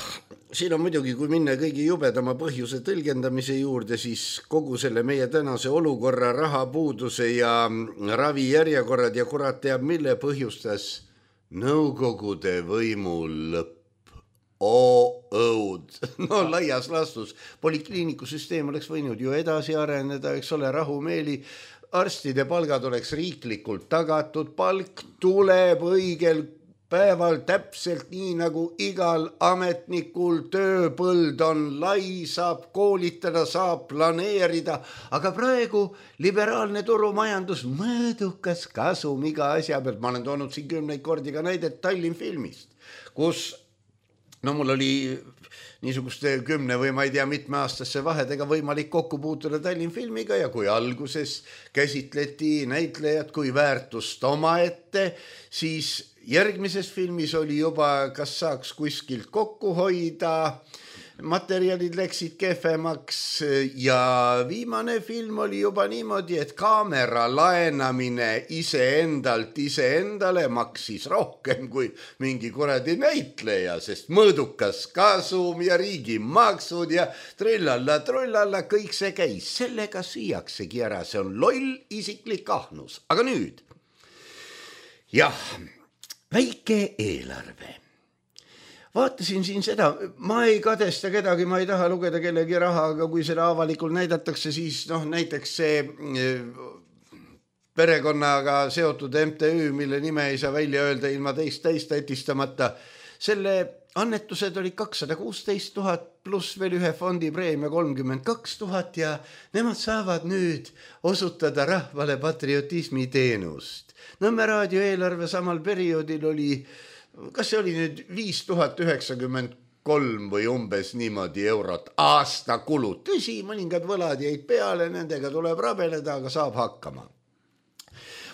siin on muidugi, kui minna kõigi jubedama põhjuse tõlgendamise juurde, siis kogu selle meie tänase olukorra, rahapuuduse ja ravijärjekorrad ja kurat teab, mille põhjustas Nõukogude võimu lõpp. Õud. No laias laastus. Polikliinikusüsteem oleks võinud ju edasi areneda, eks ole, rahumeeli. Arstide palgad oleks riiklikult tagatud, palk tuleb õigel päeval täpselt nii, nagu igal ametnikul tööpõld on lai, saab koolitada, saab planeerida, aga praegu liberaalne turumajandus, mõõdukas kasum iga asja pealt. Ma olen toonud siin 10 kordi ka näidet Tallinn filmist, kus mul oli niisuguste 10 või ma ei tea mitmeaastasse vahedega võimalik kokku puutuda Tallinn filmiga ja kui alguses käsitleti näitlejat kui väärtust omaette, siis järgmises filmis oli juba, kas saaks kuskilt kokku hoida, materjalid läksid kehvemaks ja viimane film oli juba niimoodi, et kaamera laenamine iseendale maksis rohkem kui mingi kuradi näitleja, sest mõõdukas kasum ja riigimaksud ja trullalla, kõik see käis. Sellega süüaksegi ära, see on loll isiklik ahnus. Aga nüüd, jah, väike eelarve. Vaatasin siin seda, ma ei kadesta kedagi, ma ei taha lugeda kellegi raha, aga kui seda avalikult näidatakse, siis näiteks see perekonnaga seotud MTÜ, mille nime ei saa välja öelda ilma teist tätistamata, selle annetused olid 216 000 pluss veel ühe fondi preemia 32 000 ja nemad saavad nüüd osutada rahvale patriotismi teenust. Nõmme raadio eelarve samal perioodil oli, kas see oli nüüd 5093 või umbes niimoodi eurot aasta kulud. Tõsi, mõningad võlad jäid peale, nendega tuleb rabeleda, aga saab hakkama.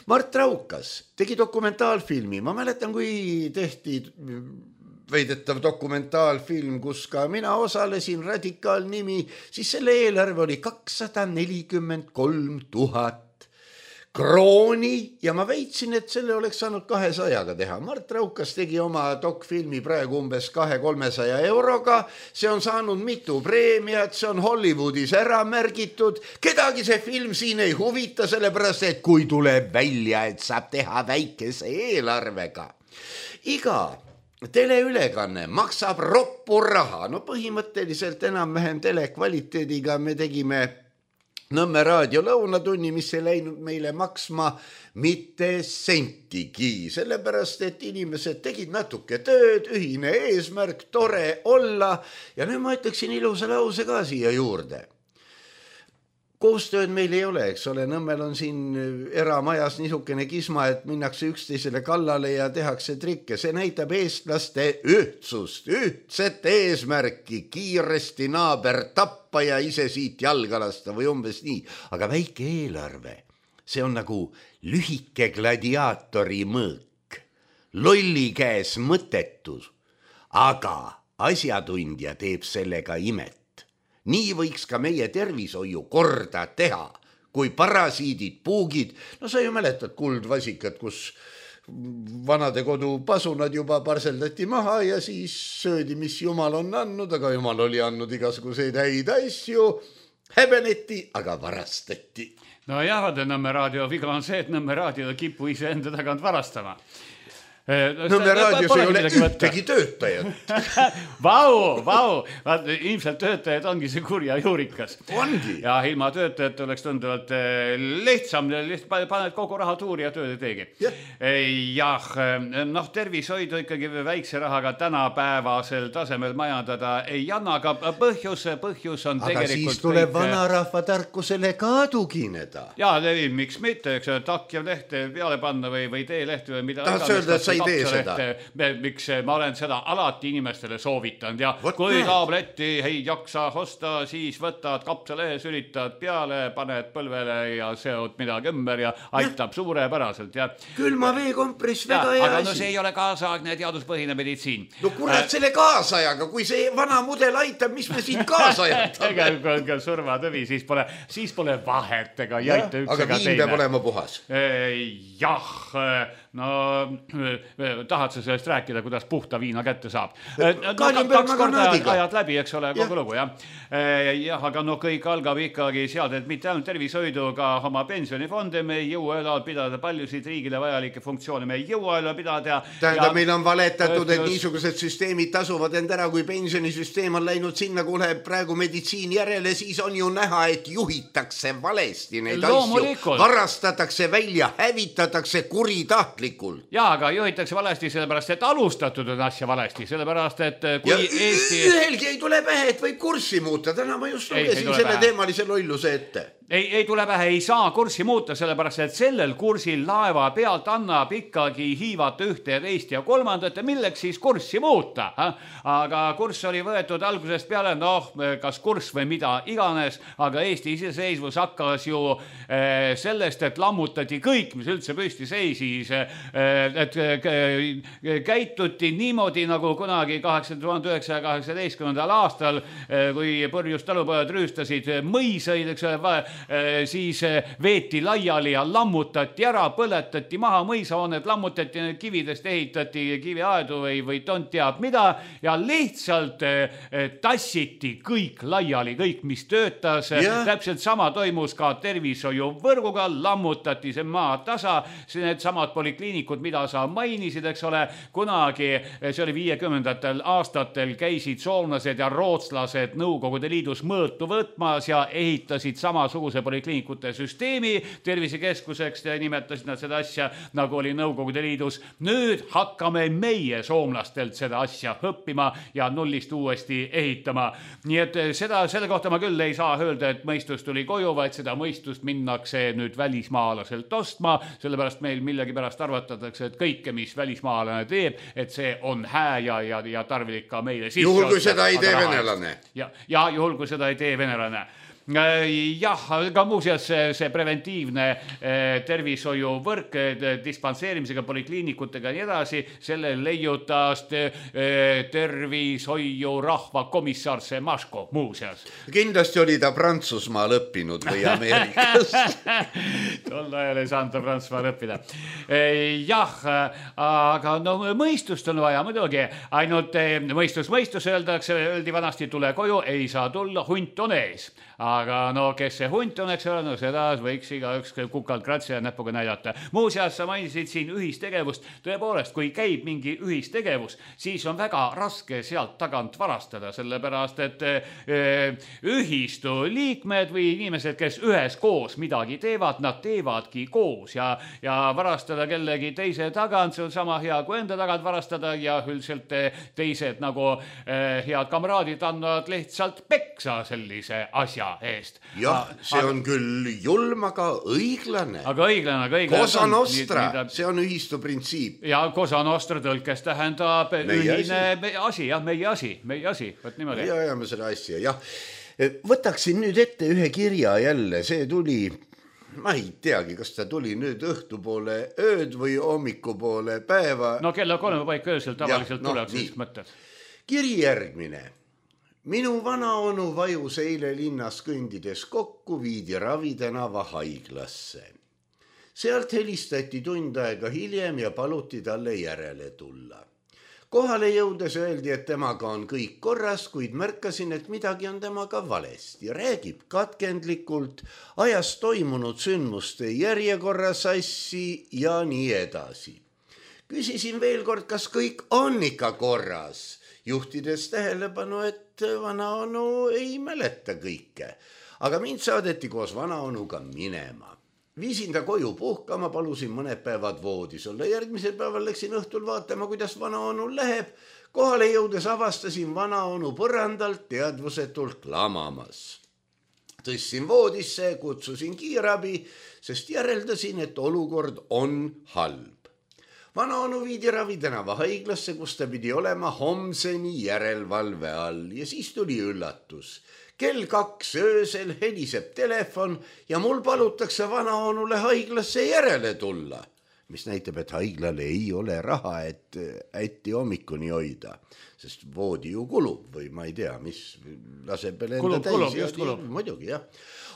Mart Raukas tegi dokumentaalfilmi. Ma mäletan, kui tehti veidetav dokumentaalfilm, kus ka mina osalesin, Radikaal nimi, siis selle eelarve oli 243 000 krooni ja ma veitsin, et selle oleks saanud 200-ga teha. Mart Raukas tegi oma dokfilmi praegu umbes 200-300 euroga. See on saanud mitu preemiat, see on Hollywoodis ära märgitud. Kedagi see film siin ei huvita, sellepärast, et kui tuleb välja, et saab teha väikese eelarvega. Iga teleülekanne maksab roppu raha. No põhimõtteliselt enam-vähem telekvaliteediga me tegime Nõmme raadio lõunatunni, mis ei läinud meile maksma mitte sentigi, sellepärast, et inimesed tegid natuke tööd, ühine eesmärk, tore olla ja nüüd ma ütleksin ilusa lause ka siia juurde. Koostööd meil ei ole, eks ole, Nõmmel on siin eramajas niisugune kisma, et minnakse üksteisele kallale ja tehakse trikke. See näitab eestlaste ühtsust, ühtset eesmärki, kiiresti naaber tappa ja ise siit jalga lasta või umbes nii. Aga väike eelarve, see on nagu lühike gladiaatori mõõk, lolli käes mõttetus, aga asjatundja teeb sellega imet. Nii võiks ka meie tervishoiu korda teha, kui parasiidid, puugid, no sa ju mäletad kuldvasikat, kus vanade kodu pasunad juba parseldati maha ja siis söödi, mis Jumal on andnud, aga Jumal oli andnud igasuguseid häid asju, häbeneti, aga varastati. No jah, Nõmme raadio viga on see, et Nõmme raadio kipu ise enda tagant varastama. Nõmme raadios ei ole ühtegi töötajat. Vau, ilmselt töötajad ongi see kurja juurikas. Ongi. Ja ilma töötajat oleks tunduvalt lihtsam, paned kogu raha tuuri ja tööd ei teegi. Jah, tervishoidu ikkagi väikse rahaga tänapäevasel tasemel majandada ei anna, aga põhjus on aga tegelikult... siis tuleb vanarahva tarkusele ka tugineda. Jaa, miks mitte, eks takja lehte peale panna või teelehte või mida... Tahad öelda, et sa ei tee seda? Miks ma olen seda alati inimestele soovitanud ja kui tableti ei jaksa osta, siis võtad kapsalehe, sülitad peale, paned põlvele ja seod midagi ümber ja aitab suurepäraselt. Ja... Külma veekompress, väga hea asi. Aga no see ei ole kaasaegne teaduspõhine meditsiin. No kurat, selle kaasajaga, kui see vana mudel aitab, mis me siin kaasajatame? Kui surmatõvi, siis pole vahet, ega ei aita üks aga ega viin peab olema puhas. Jah, no tahad sa sellest rääkida, kuidas puhta viina kätte saab? Kaks korda ajad läbi, eks ole, kogu lugu, jah. Jah, aga no kõik algab ikkagi sealt, et mitte ainult tervishoidu, ka oma pensionifonde me ei jõua üle pidada, paljusid riigile vajalikke funktsioone me ei jõua üle pidada. Tähendab, meil on valetatud, et niisugused süsteemid tasuvad end ära, kui pensionisüsteem on läinud sinna, kui läheb praegu meditsiin järele, siis on ju näha, et juhitakse valesti neid asju, varastatakse välja, hävitatakse kuritahtlikult. Jaa, aga juhitakse valesti sellepärast, et alustatud on asja valesti, sellepärast, et kui Eesti... Ühelgi ei tule pähe, et võib kurssi muuta, täna ma just lugesin selle teemalise lolluse ette. Ei tule pähe, ei saa kurssi muuta, sellepärast, et sellel kursil laeva pealt annab ikkagi hiivata ühte ja teist ja kolmandat ja milleks siis kurssi muuta. Aga kurss oli võetud algusest peale, kas kurss või mida iganes, aga Eesti iseseisvus hakkas ju sellest, et lammutati kõik, mis üldse püsti seisis, et käituti niimoodi nagu kunagi 1918. aastal, kui purjus talupojad rüüstasid mõisaid, eks ole, siis veeti laiali ja lammutati ära, põletati maha mõisahooned, lammutati need kividest, ehitati kiviaedu või tont teab mida ja lihtsalt tassiti kõik laiali, kõik mis töötas. Täpselt sama toimus ka tervishoiuvõrguga, lammutati see maa tasa, need samad polikliinikud, mida sa mainisid, eks ole, kunagi, see oli 50. aastatel, käisid soomlased ja rootslased Nõukogude Liidus mõõtu võtmas ja ehitasid samasuguse polikliinikute süsteemi tervisekeskuseks, nimetasid nad seda asja, nagu oli Nõukogude Liidus. Nüüd hakkame meie soomlastelt seda asja õppima ja nullist uuesti ehitama. Nii et selle kohta ma küll ei saa öelda, et mõistus tuli koju, vaid seda mõistust minnakse nüüd välismaalaselt ostma, sellepärast meil millegipärast arvatatakse, et kõike, mis välismaalane teeb, et see on hää ja tarvilik ka meile sisse. Juhul, kui seda ei tee venelane. Ja juhul, kui seda ei tee venelane. Jah, aga muuseas see preventiivne tervishoiuvõrk dispanseerimisega, polikliinikutega ja nii edasi, selle leiutas tervishoiu rahvakomissar Semaško muuseas. Kindlasti oli ta Prantsusmaal õppinud või Ameerikas. Tol ajal ei saanud ta Prantsusmaal õppida. Jah, aga no mõistust on vaja muidugi, ainult mõistus öeldi vanasti tule koju, ei saa tulla, hunt on ees. Aga no kes see hunt on, eks ole, no seda võiks igaüks kukalt kratsi ja näpuga näidata. Muuseas, sa mainisid siin ühistegevust. Tõepoolest, kui käib mingi ühistegevus, siis on väga raske sealt tagant varastada, sellepärast, et ühistu liikmed või inimesed, kes üheskoos midagi teevad, nad teevadki koos ja varastada kellegi teise tagant, see on sama hea kui enda tagant varastada ja üldiselt teised nagu head kamraadid annavad lihtsalt peksa sellise asja eest. Jah, see on küll julm, aga õiglane. Aga õiglane. Cosa nostra, see on ühistu printsiip. Ja Cosa nostra tõlkes tähendab ühine asi, jah, meie asi. Võt niimoodi. Ja ajame seda asja, jah. Võtaksin nüüd ette ühe kirja jälle, see tuli, ma ei teagi, kas ta tuli nüüd õhtupoole ööd või hommikupoole päeva. No kella 3 paika öösel tavaliselt tuleks siis mõtted. Kiri järgmine. Minu vanaonu vajus eile linnas kõndides kokku, viidi Ravitänava haiglasse. Sealt helistati tund aega hiljem ja paluti talle järele tulla. Kohale jõudes öeldi, et temaga on kõik korras, kuid märkasin, et midagi on temaga valesti. Räägib katkendlikult, ajas toimunud sündmuste järjekorra sassi ja nii edasi. Küsisin veel kord, kas kõik on ikka korras, juhtides tähelepanu, et vanaonu ei mäleta kõike. Aga mind saadeti koos vanaonuga minema. Viisin ta koju puhkama, palusin mõned päevad voodis olla. Järgmisel päeval läksin õhtul vaatama, kuidas vanaonul läheb. Kohale jõudes avastasin vanaonu põrandalt teadvusetult lamamas. Tõstsin voodisse, kutsusin kiirabi, sest järeldasin, et olukord on halb. Vanaonu viidi Ravitänava haiglasse, kus ta pidi olema homseni järelevalve all ja siis tuli üllatus. Kell 2 öösel heliseb telefon ja mul palutakse vanaonule haiglasse järele tulla, mis näitab, et haiglale ei ole raha, et ätti hommikuni hoida, sest voodi ju kulub või ma ei tea, mis laseb enda täis. Kulub. Muidugi, jah.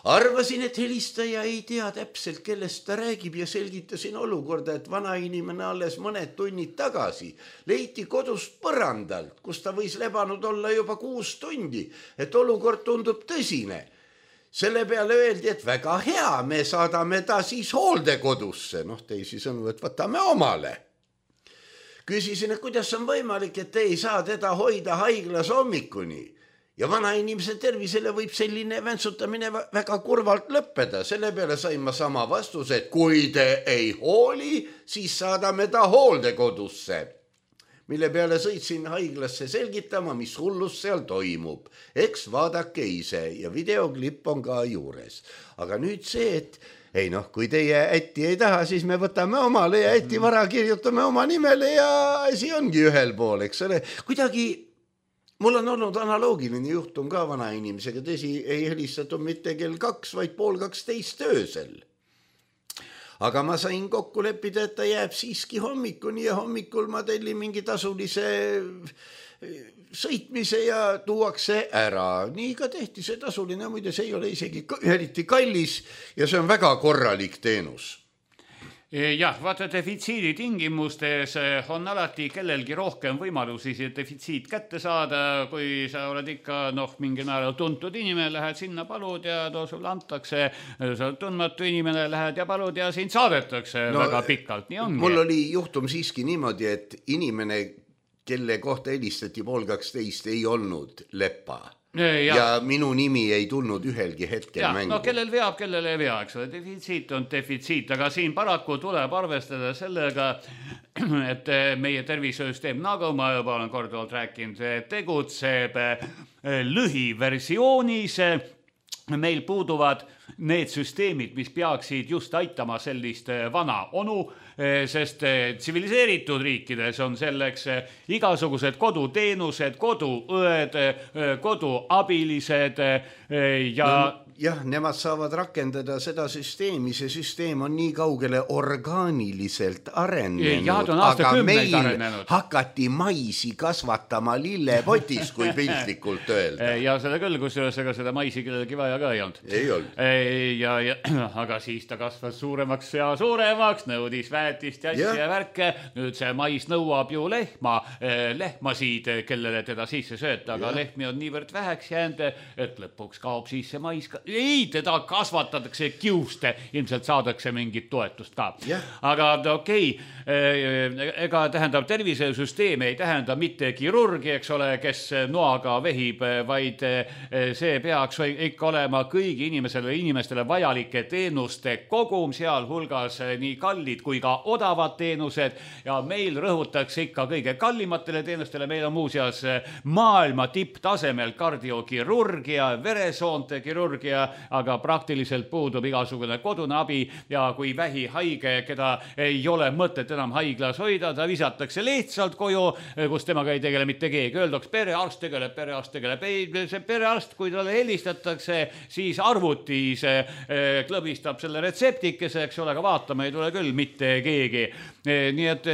Arvasin, et helistaja ei tea täpselt, kellest ta räägib ja selgitasin olukorda, et vana inimene alles mõned tunnid tagasi leiti kodust põrandalt, kus ta võis lebanud olla juba 6 tundi, et olukord tundub tõsine. Selle peale öeldi, et väga hea, me saadame ta siis hooldekodusse, teisisõnu, et võtame omale. Küsisin, et kuidas on võimalik, et te ei saa teda hoida haiglas hommikuni. Ja vana inimese tervisele võib selline väntsutamine väga kurvalt lõppeda. Selle peale sain ma sama vastuse, et kui te ei hooli, siis saadame ta hooldekodusse. Mille peale sõitsin haiglasse selgitama, mis hullus seal toimub. Eks vaadake ise ja videoklipp on ka juures. Aga nüüd see, et kui teie ätti ei taha, siis me võtame omale ja ätti vara kirjutame oma nimele ja asi ongi ühel pool, eks ole. Kuidagi mul on olnud analoogiline juhtum ka vana inimesega, tõsi ei helistatud mitte kell 2, vaid 11:30 öösel. Aga ma sain kokku leppida, et ta jääb siiski hommikuni ja hommikul ma tellin mingi tasulise sõitmise ja tuuakse ära. Nii ka tehti see tasuline, muide see ei ole isegi eriti kallis ja see on väga korralik teenus. Jah, vaata defitsiidi tingimustes on alati kellelgi rohkem võimalusi see defitsiit kätte saada, kui sa oled ikka mingil määral tuntud inimene, lähed sinna, palud ja sulle antakse, sa oled tundmatu inimene, lähed ja palud ja sind saadetakse väga pikalt, nii ongi. Mul oli juhtum siiski niimoodi, et inimene, kelle kohta helistati 11:30 ei olnud Lepa. Ja minu nimi ei tulnud ühelgi hetkel mängu. Kellel veab, kellel ei vea, eks ole, defitsiit on defitsiit, aga siin paraku tuleb arvestada sellega, et meie tervishoiusüsteem, nagu ma juba olen korduvalt rääkinud, tegutseb lühiversioonis. Meil puuduvad need süsteemid, mis peaksid just aitama sellist vana onu, sest tsiviliseeritud riikides on selleks igasugused koduteenused, koduõed, koduabilised ja... Jah, nemad saavad rakendada seda süsteemi, see süsteem on nii kaugele orgaaniliselt arenenud, aga meil hakati maisi kasvatama lillepotis, kui piltlikult öelda. Ja seda küll, kusjuures ega seda maisi kellelgi vaja ka ei olnud. Ei olnud. Aga siis ta kasvas suuremaks ja suuremaks, nõudis väetist ja värke. Nüüd see mais nõuab ju lehmasid, kellele teda sisse sööta, aga lehmi on niivõrd väheks jäänud, et lõpuks kaob siis see mais ka. Ei, teda kasvatatakse kiuste, ilmselt saadakse mingit toetust ka. Aga okei, ega tähendab tervisesüsteem ei tähenda mitte kirurgi, eks ole, kes noaga vehib, vaid see peaks ikka olema kõigi inimestele vajalike teenuste kogum, seal hulgas nii kallid kui ka odavad teenused ja meil rõhutakse ikka kõige kallimatele teenustele. Meil on muuseas maailma tipptasemel kardiokirurgia, veresoonte kirurgia, aga praktiliselt puudub igasugune kodune abi ja kui vähihaige, keda ei ole mõtet enam haiglas hoida, ta visatakse lihtsalt koju, kus temaga ei tegele mitte keegi. Öeldaks, perearst tegeleb. See perearst, kui talle helistatakse, siis arvutis klõbistab selle retseptikese, eks ole, aga vaatama ei tule küll mitte keegi. Nii et...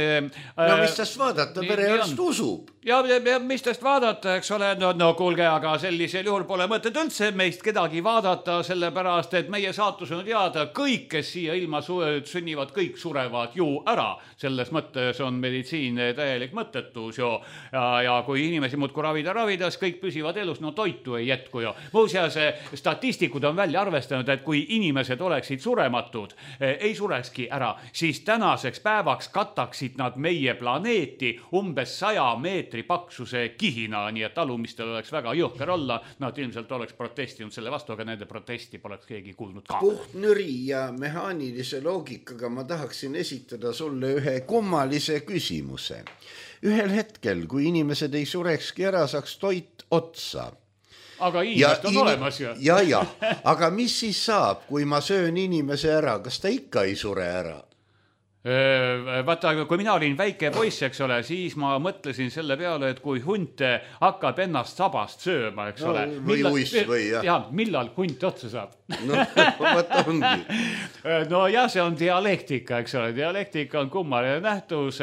mis tast vaadata, perearst usub. Ja mis tast vaadata, eks ole, no kuulge, aga sellisel juhul pole mõtet üldse meist kedagi vaadata, oodata, sellepärast, et meie saatus on teada, kõik, kes siia ilma sünnivad, kõik surevad ju ära. Selles mõttes on meditsiin täielik mõttetus ju. Ja kui inimesi muudku ravides, kõik püsivad elus, no toitu ei jätku ju. Muuseas, statistikud on välja arvestanud, et kui inimesed oleksid surematud, ei surekski ära, siis tänaseks päevaks kataksid nad meie planeeti umbes 100 meetri paksuse kihina, nii et talumistel oleks väga jõhker olla. Nad ilmselt oleks protestinud selle vastu, aga nende protesti poleks keegi kuulnud ka. Puhtnüri ja mehaanilise loogikaga ma tahaksin esitada sulle ühe kummalise küsimuse. Ühel hetkel, kui inimesed ei surekski ära, saaks toit otsa. Aga inimest on olemas ju. Ja, aga mis siis saab, kui ma söön inimese ära? Kas ta ikka ei sure ära? Vaata, kui mina olin väike poiss, eks ole, siis ma mõtlesin selle peale, et kui hunt hakkab ennast sabast sööma, eks ole. Või uiss või jah. Ja, millal hunt otsa saab? No, võtta ongi. No jah, see on dialektika, eks ole. Dialektika on kummaline nähtus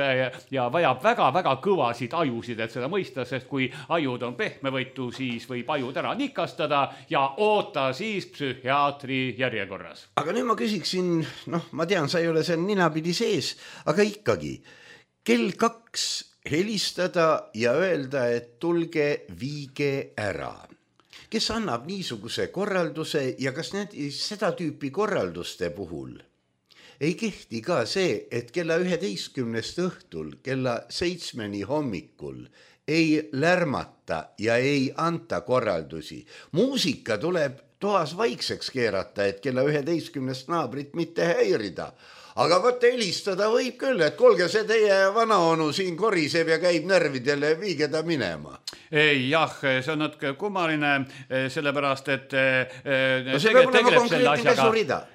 ja vajab väga-väga kõvasid ajusid, et seda mõista, sest kui ajud on pehmevõitu, siis võib ajud ära nikastada ja oota siis psühhiaatri järjekorras. Aga nüüd ma küsiksin, ma tean, sa ei ole seal ninapidi sees, aga ikkagi, kell 2 helistada ja öelda, et tulge viige ära. Kes annab niisuguse korralduse ja kas seda tüüpi korralduste puhul ei kehti ka see, et kella 11 õhtul, kella 7 hommikul ei lärmata ja ei anta korraldusi. Muusika tuleb toas vaikseks keerata, et kella 11 naabrit mitte häirida. Aga võtta helistada võib küll, et kuulge, see teie vanaonu siin koriseb ja käib närvidele, viige ta minema. Jah, see on natuke kummaline, sellepärast, et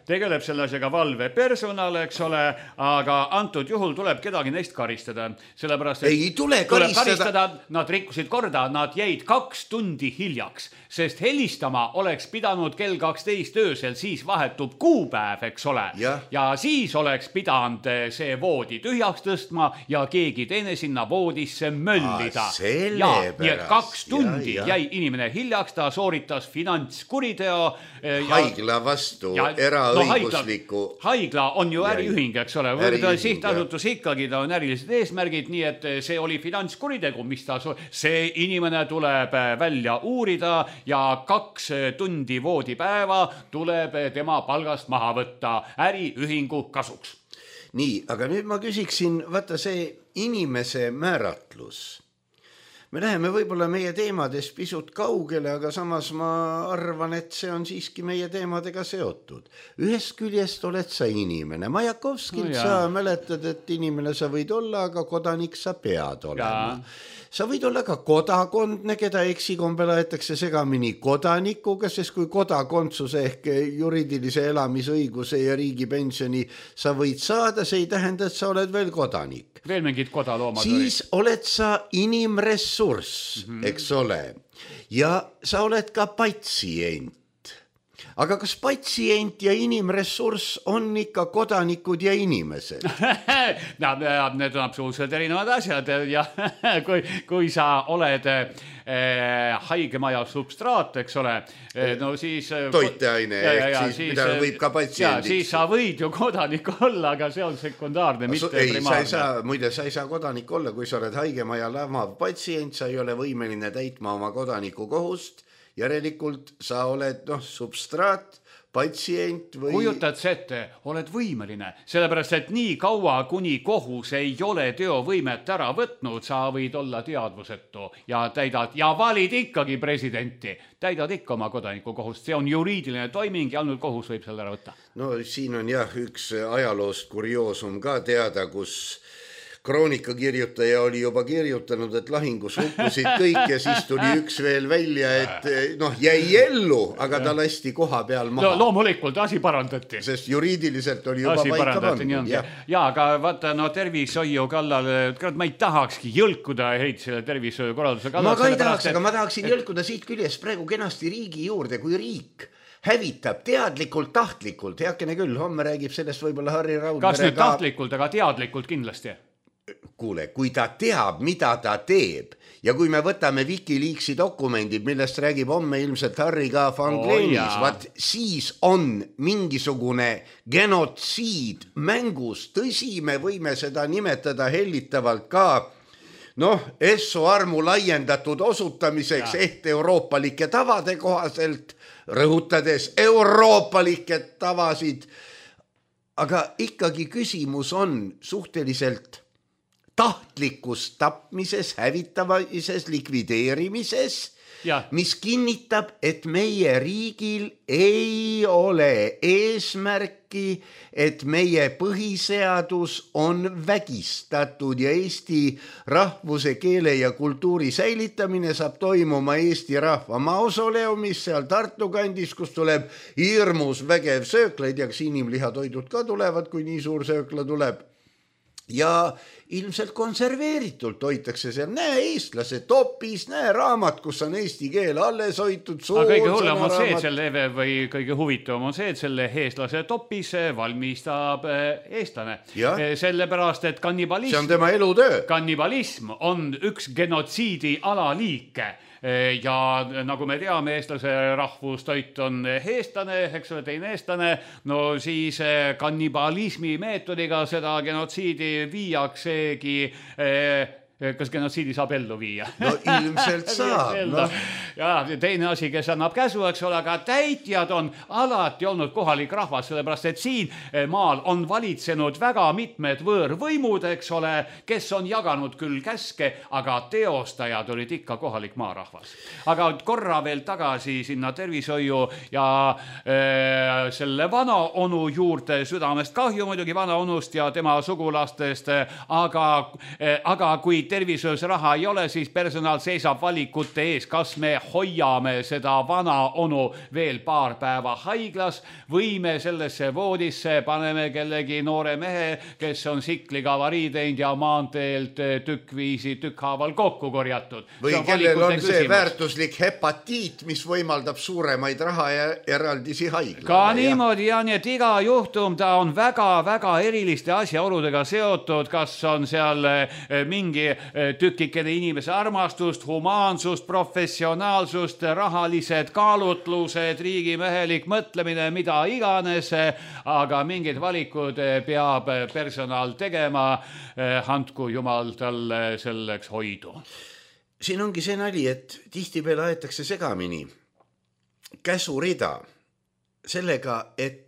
tegeleb selle asjaga valvepersonal, eks ole, aga antud juhul tuleb kedagi neist karistada. Sellepärast, et ei tule karistada. Nad rikkusid korda, nad jäid 2 tundi hiljaks, sest helistama oleks pidanud kell 12 öösel, siis vahetub kuupäev, eks ole. Ja siis oleks pidanud see voodi tühjaks tõstma ja keegi teine sinna voodisse möllida. Nii et 2 tundi jäi inimene hiljaks, ta sooritas finantskuriteo. Haigla vastu, eraõigusliku. Haigla on ju äriühing, eks ole. Sihtasutus ikkagi, ta on ärilised eesmärgid, nii et see oli finantskuritegu, mis ta see inimene tuleb välja uurida ja 2 tundi voodipäeva tuleb tema palgast maha võtta äriühingu kasuks. Nii, aga nüüd ma küsiksin, vaata see inimese määratlus. Me läheme võib-olla meie teemades pisut kaugele, aga samas ma arvan, et see on siiski meie teemadega seotud. Ühest küljest oled sa inimene. Majakovskilt sa mäletad, et inimene sa võid olla, aga kodanik sa pead olema. Sa võid olla ka kodakondne, keda eksikombel aetakse segamini kodanikuga, sest kui kodakondsuse ehk juriidilise elamisõiguse ja riigipensioni sa võid saada, see ei tähenda, et sa oled veel kodanik. Veel mingid kodaloomad siis oled sa inimressurss, eks ole, ja sa oled ka patsient. Aga kas patsient ja inimressurss on ikka kodanikud ja inimesed? Need on absoluutselt erinevad asjad ja kui sa oled haigemaja substraat, eks ole, no siis toiteaine, mida võib ka patsiendiks. Siis sa võid ju kodanik olla, aga see on sekundaarne, mitte primaarne. Muide, sa ei saa kodanik olla, kui sa oled haigemaja lamav patsient, sa ei ole võimeline täitma oma kodaniku kohust. Järelikult sa oled substraat, patsient või... Kujutad see ette, oled võimeline, sellepärast, et nii kaua, kuni kohus ei ole teovõimet ära võtnud, sa võid olla teadvusetu ja täidad ja valid ikkagi presidenti. Täidad ikka oma kodaniku kohust, see on juriidiline toiming ja ainult kohus võib selle ära võtta. No siin on üks ajaloost kurioosum ka teada, kus kroonikakirjutaja oli juba kirjutanud, et lahingus hukkusid kõik ja siis tuli üks veel välja, et jäi ellu, aga ta lasti koha peal maha. Loomulikult, asi parandati. Sest juriidiliselt oli juba paika pandud. Ja, aga vaata, tervishoiu kallal, ma ei tahakski jõlkuda selle tervishoiukorralduse kallal. Ma ka ei tahaks, aga ma tahaksin jõlkuda siit küljest praegu kenasti riigi juurde, kui riik hävitab teadlikult, tahtlikult, heakene küll, homme räägib sellest võib-olla Harri Raudmere. Kas nüüd tahtlikult, aga teadlikult kindlasti? kuule, kui ta teab, mida ta teeb ja kui me võtame Wikileaksi dokumendid, millest räägib homme ilmselt Harry K. Van Glenis, vaat siis on mingisugune genotsiid mängus. Tõsi, me võime seda nimetada hellitavalt ka Esso armu laiendatud osutamiseks ehk euroopalike tavade kohaselt, rõhutades euroopalikke tavasid. Aga ikkagi küsimus on suhteliselt tahtlikus tapmises, hävitamises, likvideerimises, mis kinnitab, et meie riigil ei ole eesmärki, et meie põhiseadus on vägistatud ja Eesti rahvuse, keele ja kultuuri säilitamine saab toimuma Eesti rahva mausoleumis seal Tartu kandis, kus tuleb hirmus vägev söökla, ei tea, kas inimlihatoidud ka tulevad, kui nii suur söökla tuleb. Ja ilmselt konserveeritult hoitakse seal, näe eestlase topis, näe raamat, kus on eesti keel alles hoitud. Aga kõige hullem on see, selle või kõige huvitavam on see, et selle eestlase topis valmistab eestlane. Sellepärast, et kannibalism, see on tema elutöö. Kannibalism on üks genotsiidi alaliike. Ja nagu me teame, eestlase rahvustoit on eestlane, eks ole, teine eestlane, no siis kannibalismi meetodiga seda genotsiidi viiaksegi, kas genotsiidi saab ellu viia? No ilmselt saab. Ja teine asi, kes annab käsu, eks ole, aga täitjad on alati olnud kohalik rahvas, sellepärast, et siin maal on valitsenud väga mitmed võõrvõimud, eks ole, kes on jaganud küll käske, aga teostajad olid ikka kohalik maarahvas. Aga korra veel tagasi sinna tervishoiu ja selle vana onu juurde, südamest kahju muidugi vana onust ja tema sugulastest, aga kui tervishoius raha ei ole, siis personal seisab valikute ees, kas me hoiame seda vana onu veel paar päeva haiglas või me sellesse voodisse paneme kellegi noore mehe, kes on sikliga avarii teinud ja maanteelt tükkhaaval kokku korjatud. Või kellel on see väärtuslik hepatiit, mis võimaldab suuremaid raha ja eraldisi haigla. Ka niimoodi, ja nii, et iga juhtum ta on väga-väga eriliste asjaoludega seotud, kas on seal mingi tükikene inimese armastust, humaansust, professionaalsust, rahalised kaalutlused, riigimehelik mõtlemine, mida iganes, aga mingid valikud peab personal tegema, andku jumal talle selleks hoidu. Siin ongi see nali, et tihtipeale aetakse segamini käsurida sellega, et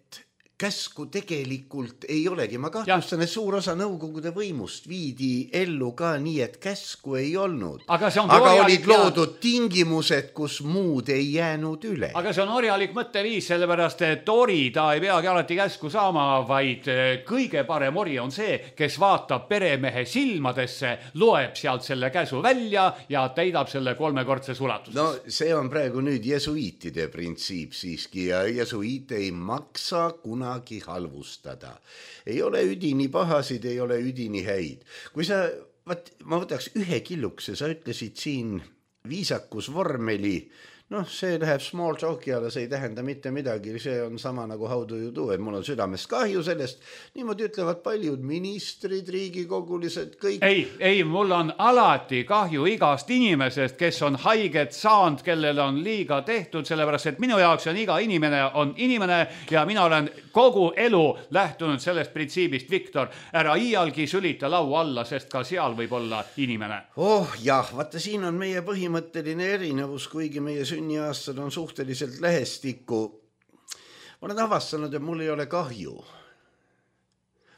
käsku tegelikult ei olegi. Ma kahtlustan, et suur osa nõukogude võimust viidi ellu ka nii, et käsku ei olnud. Aga olid loodud tingimused, kus muud ei jäänud üle. Aga see on orjalik mõtteviis, sellepärast, et ori ta ei peagi alati käsku saama, vaid kõige parem ori on see, kes vaatab peremehe silmadesse, loeb sealt selle käsu välja ja täidab selle 3-kordses ulatuses. No see on praegu nüüd jesuiitide printsiip siiski ja jesuiite ei maksa kunagi halvustada. Ei ole üdini pahasid, ei ole üdini häid. Kui ma võtaks ühe killukese, sa ütlesid siin viisakus vormeli, see läheb small talki alla, see ei tähenda mitte midagi, see on sama nagu how do you do, et mul on südamest kahju sellest, niimoodi ütlevad paljud ministrid, riigikogulised, kõik. Ei, mul on alati kahju igast inimesest, kes on haiget saanud, kellel on liiga tehtud, sellepärast, et minu jaoks on iga inimene on inimene ja mina olen kogu elu lähtunud sellest printsiibist, Viktor, ära iialgi sülita lau alla, sest ka seal võib olla inimene. Jah, vaata siin on meie põhimõtteline erinevus, kuigi meie sünniaastad on suhteliselt lähestikku. Ma olen avastanud, et mul ei ole kahju.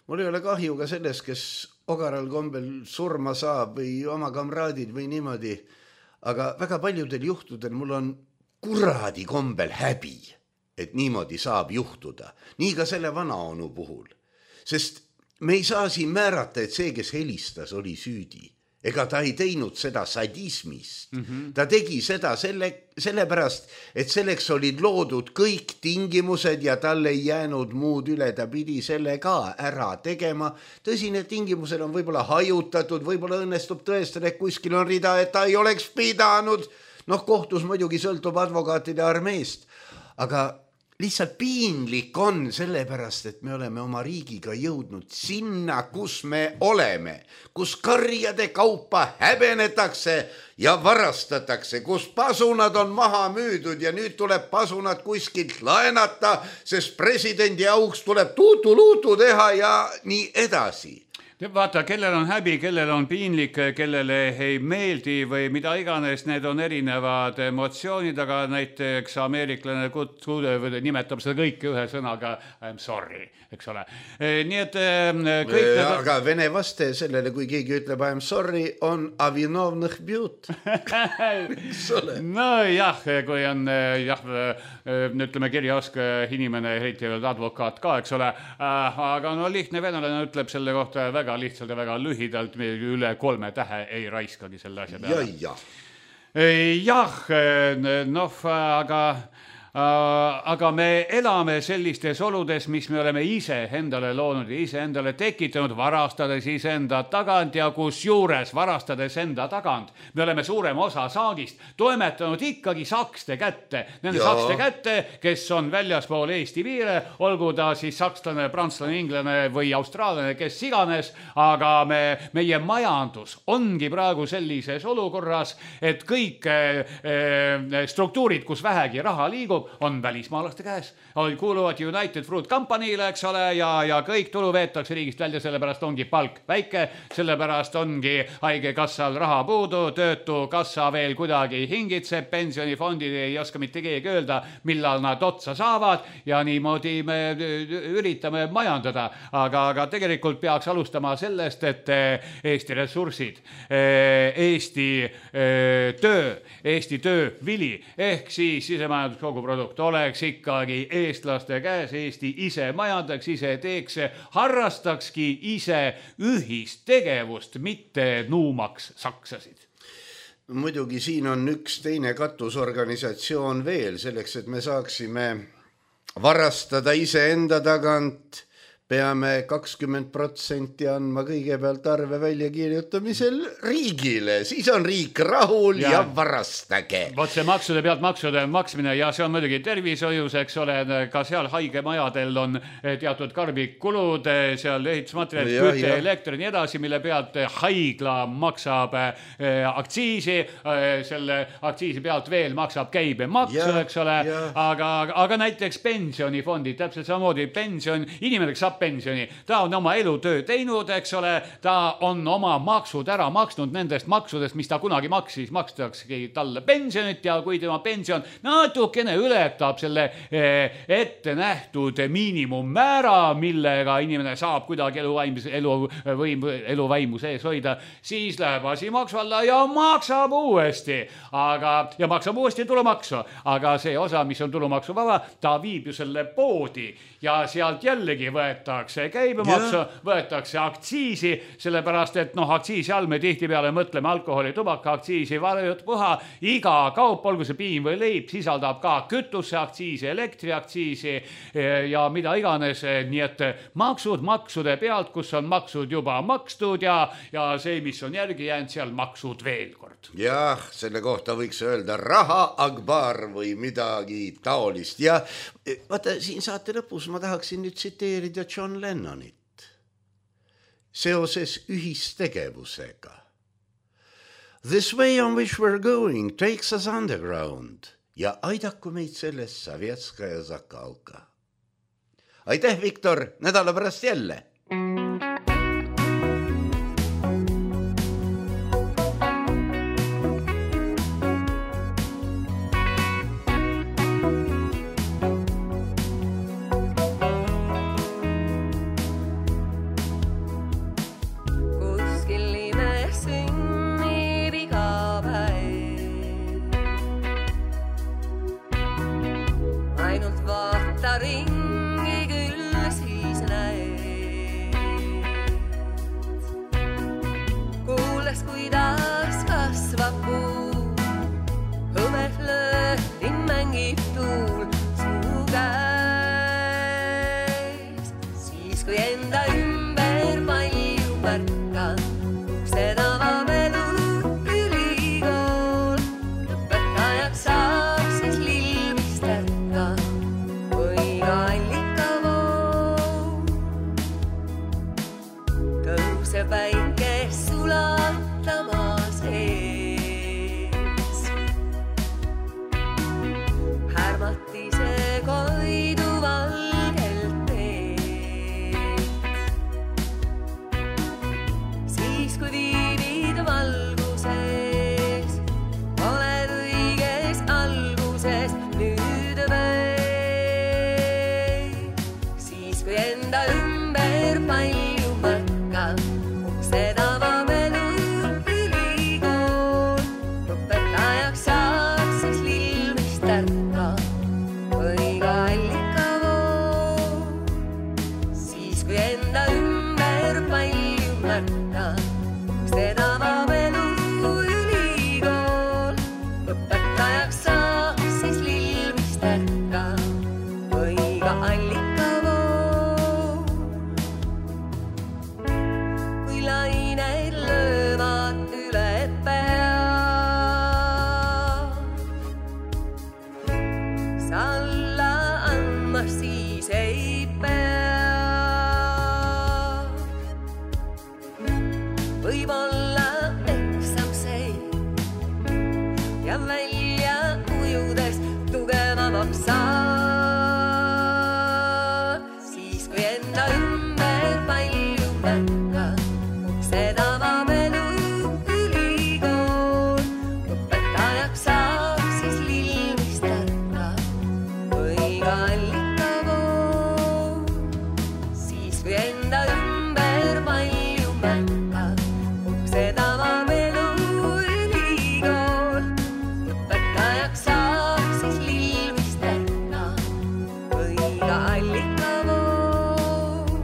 Mul ei ole kahju ka sellest, kes ogaral kombel surma saab või oma kamraadid või niimoodi. Aga väga paljudel juhtudel mul on kuradi kombel häbi, et niimoodi saab juhtuda. Nii ka selle vana onu puhul. Sest me ei saa siin määrata, et see, kes helistas, oli süüdi. Ega ta ei teinud seda sadismist. Ta tegi seda sellepärast, et selleks olid loodud kõik tingimused ja tal ei jäänud muud üle. Ta pidi selle ka ära tegema. Tõsi, need tingimused on võib-olla hajutatud, võib-olla õnnestub tõestada, et kuskil on rida, et ta ei oleks pidanud. Kohtus muidugi sõltub advokaatide armeest. Aga lihtsalt piinlik on sellepärast, et me oleme oma riigiga jõudnud sinna, kus me oleme, kus karjade kaupa häbenetakse ja varastatakse, kus pasunad on maha müüdud ja nüüd tuleb pasunad kuskilt laenata, sest presidendi auks tuleb tuutu-luutu teha ja nii edasi. Vaata, kellel on häbi, kellel on piinlik, kellele ei meeldi või mida iganes, need on erinevad emotsioonid, aga näiteks ameeriklane nimetab seda kõike ühe sõnaga I'm sorry, eks ole. Nii et kõik aga vene vaste sellele, kui keegi ütleb I'm sorry, on avinovnõh bjut. No jah, kui on ütleme kirjaoske inimene, eriti advokaat ka, eks ole, aga no lihtne venelane ütleb selle kohta väga lihtsalt ja väga lühidalt, üle 3 tähe ei raiskagi selle asja peale. Jah, noh, aga me elame sellistes oludes, mis me oleme ise endale loonud ja ise endale tekitanud, varastades ise enda tagant ja kus juures varastades enda tagant. Me oleme suurema osa saagist toimetanud ikkagi sakste kätte. Nende sakste kätte, kes on väljaspool Eesti piire, olgu ta siis sakslane, prantslane, inglane või austraallane, kes iganes, aga meie majandus ongi praegu sellises olukorras, et kõik struktuurid, kus vähegi raha liigub, on välismaalaste käes. Kuuluvad United Fruit Company'le, eks ole, ja kõik tulu veetakse riigist välja, sellepärast ongi palk väike, sellepärast ongi haigekassal raha puudu, töötukassa veel kuidagi hingitseb, pensionifondid ei oska mitte keegi öelda, millal nad otsa saavad ja niimoodi me üritame majandada. Aga tegelikult peaks alustama sellest, et Eesti ressursid, Eesti töövili ehk siis sisemajandus oleks ikkagi eestlaste käes, Eesti ise majandaks, ise teeks, harrastakski ise ühist tegevust, mitte nuumaks saksasid. Muidugi siin on üks teine katusorganisatsioon veel, selleks, et me saaksime varastada ise enda tagant, peame 20% andma kõigepealt arve väljakirjutamisel riigile, siis on riik rahul ja varastage. Vot see maksude pealt maksude maksmine ja see on muidugi tervishoius, eks ole, ka seal haigemajadel on teatud karbikkulud, seal ehitusmaterjalid, küte, elekter ja nii edasi, mille pealt haigla maksab aktsiisi, selle aktsiisi pealt veel maksab käibemaksu, eks ole, aga näiteks pensionifondi, täpselt samamoodi pension, inimene saab pensioni. Ta on oma elutöö teinud, eks ole, ta on oma maksud ära maksnud nendest maksudest, mis ta kunagi maksis, makstaksegi talle pensionit ja kui tema pension natukene ületab selle ette nähtud miinimummäära, millega inimene saab kuidagi eluvaimu sees hoida, siis läheb asi maksu alla ja maksab uuesti. Ja maksab uuesti tulumaksu, aga see osa, mis on tulumaksu vaba, ta viib ju selle poodi ja sealt jällegi võetakse käibemaksu, võetakse aktsiisi, sellepärast, et aktsiisi all me tihtipeale mõtleme alkoholi, tubaka aktsiisi, puha, iga kaup, olgu see piim või leib, sisaldab ka kütuse aktsiisi, elektriaktsiisi ja mida iganes, nii et maksud maksude pealt, kus on maksud juba makstud ja see, mis on järgi jäänud, seal maksud veel kord. Jah, selle kohta võiks öelda raha akbar või midagi taolist ja vaata, siin saate lõpus ma tahaksin nüüd tsiteerida John Lennonit seoses ühistegevusega. This way on which we're going takes us underground ja aidaku meid selles Savjetska ja Zakalka. Aitäh, Viktor, nädala pärast jälle! siis kui viibid valguses, oled õiges alguses nüüd või. Siis kui enda ümber palju märkab, seda avab elu ülikool. Õpetajaks saad, siis lilmist ärka või ka allikavool. Siis kui enda ümber palju märkab, seda avab elu ülikool. Õpetajaks saad, siis lilmist ärka või ka allikavool. Kui laineid löövad üle pea, sa alla andma siis ei pea. Võib-olla eksam see ja välja ujudes tugevamaks saad. Siis kui enda ümber palju märkab, seda avab elu ülikool. Õpetajaks saab, siis lilmist ärka või ka allikavool. Siis kui enda ümber palju märkab, seda avab elu ülikool. Õpetajaks saab, siis lilmist ärka või ka allikavool.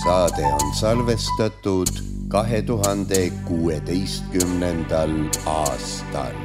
Saade on salvestatud 2016. aastal.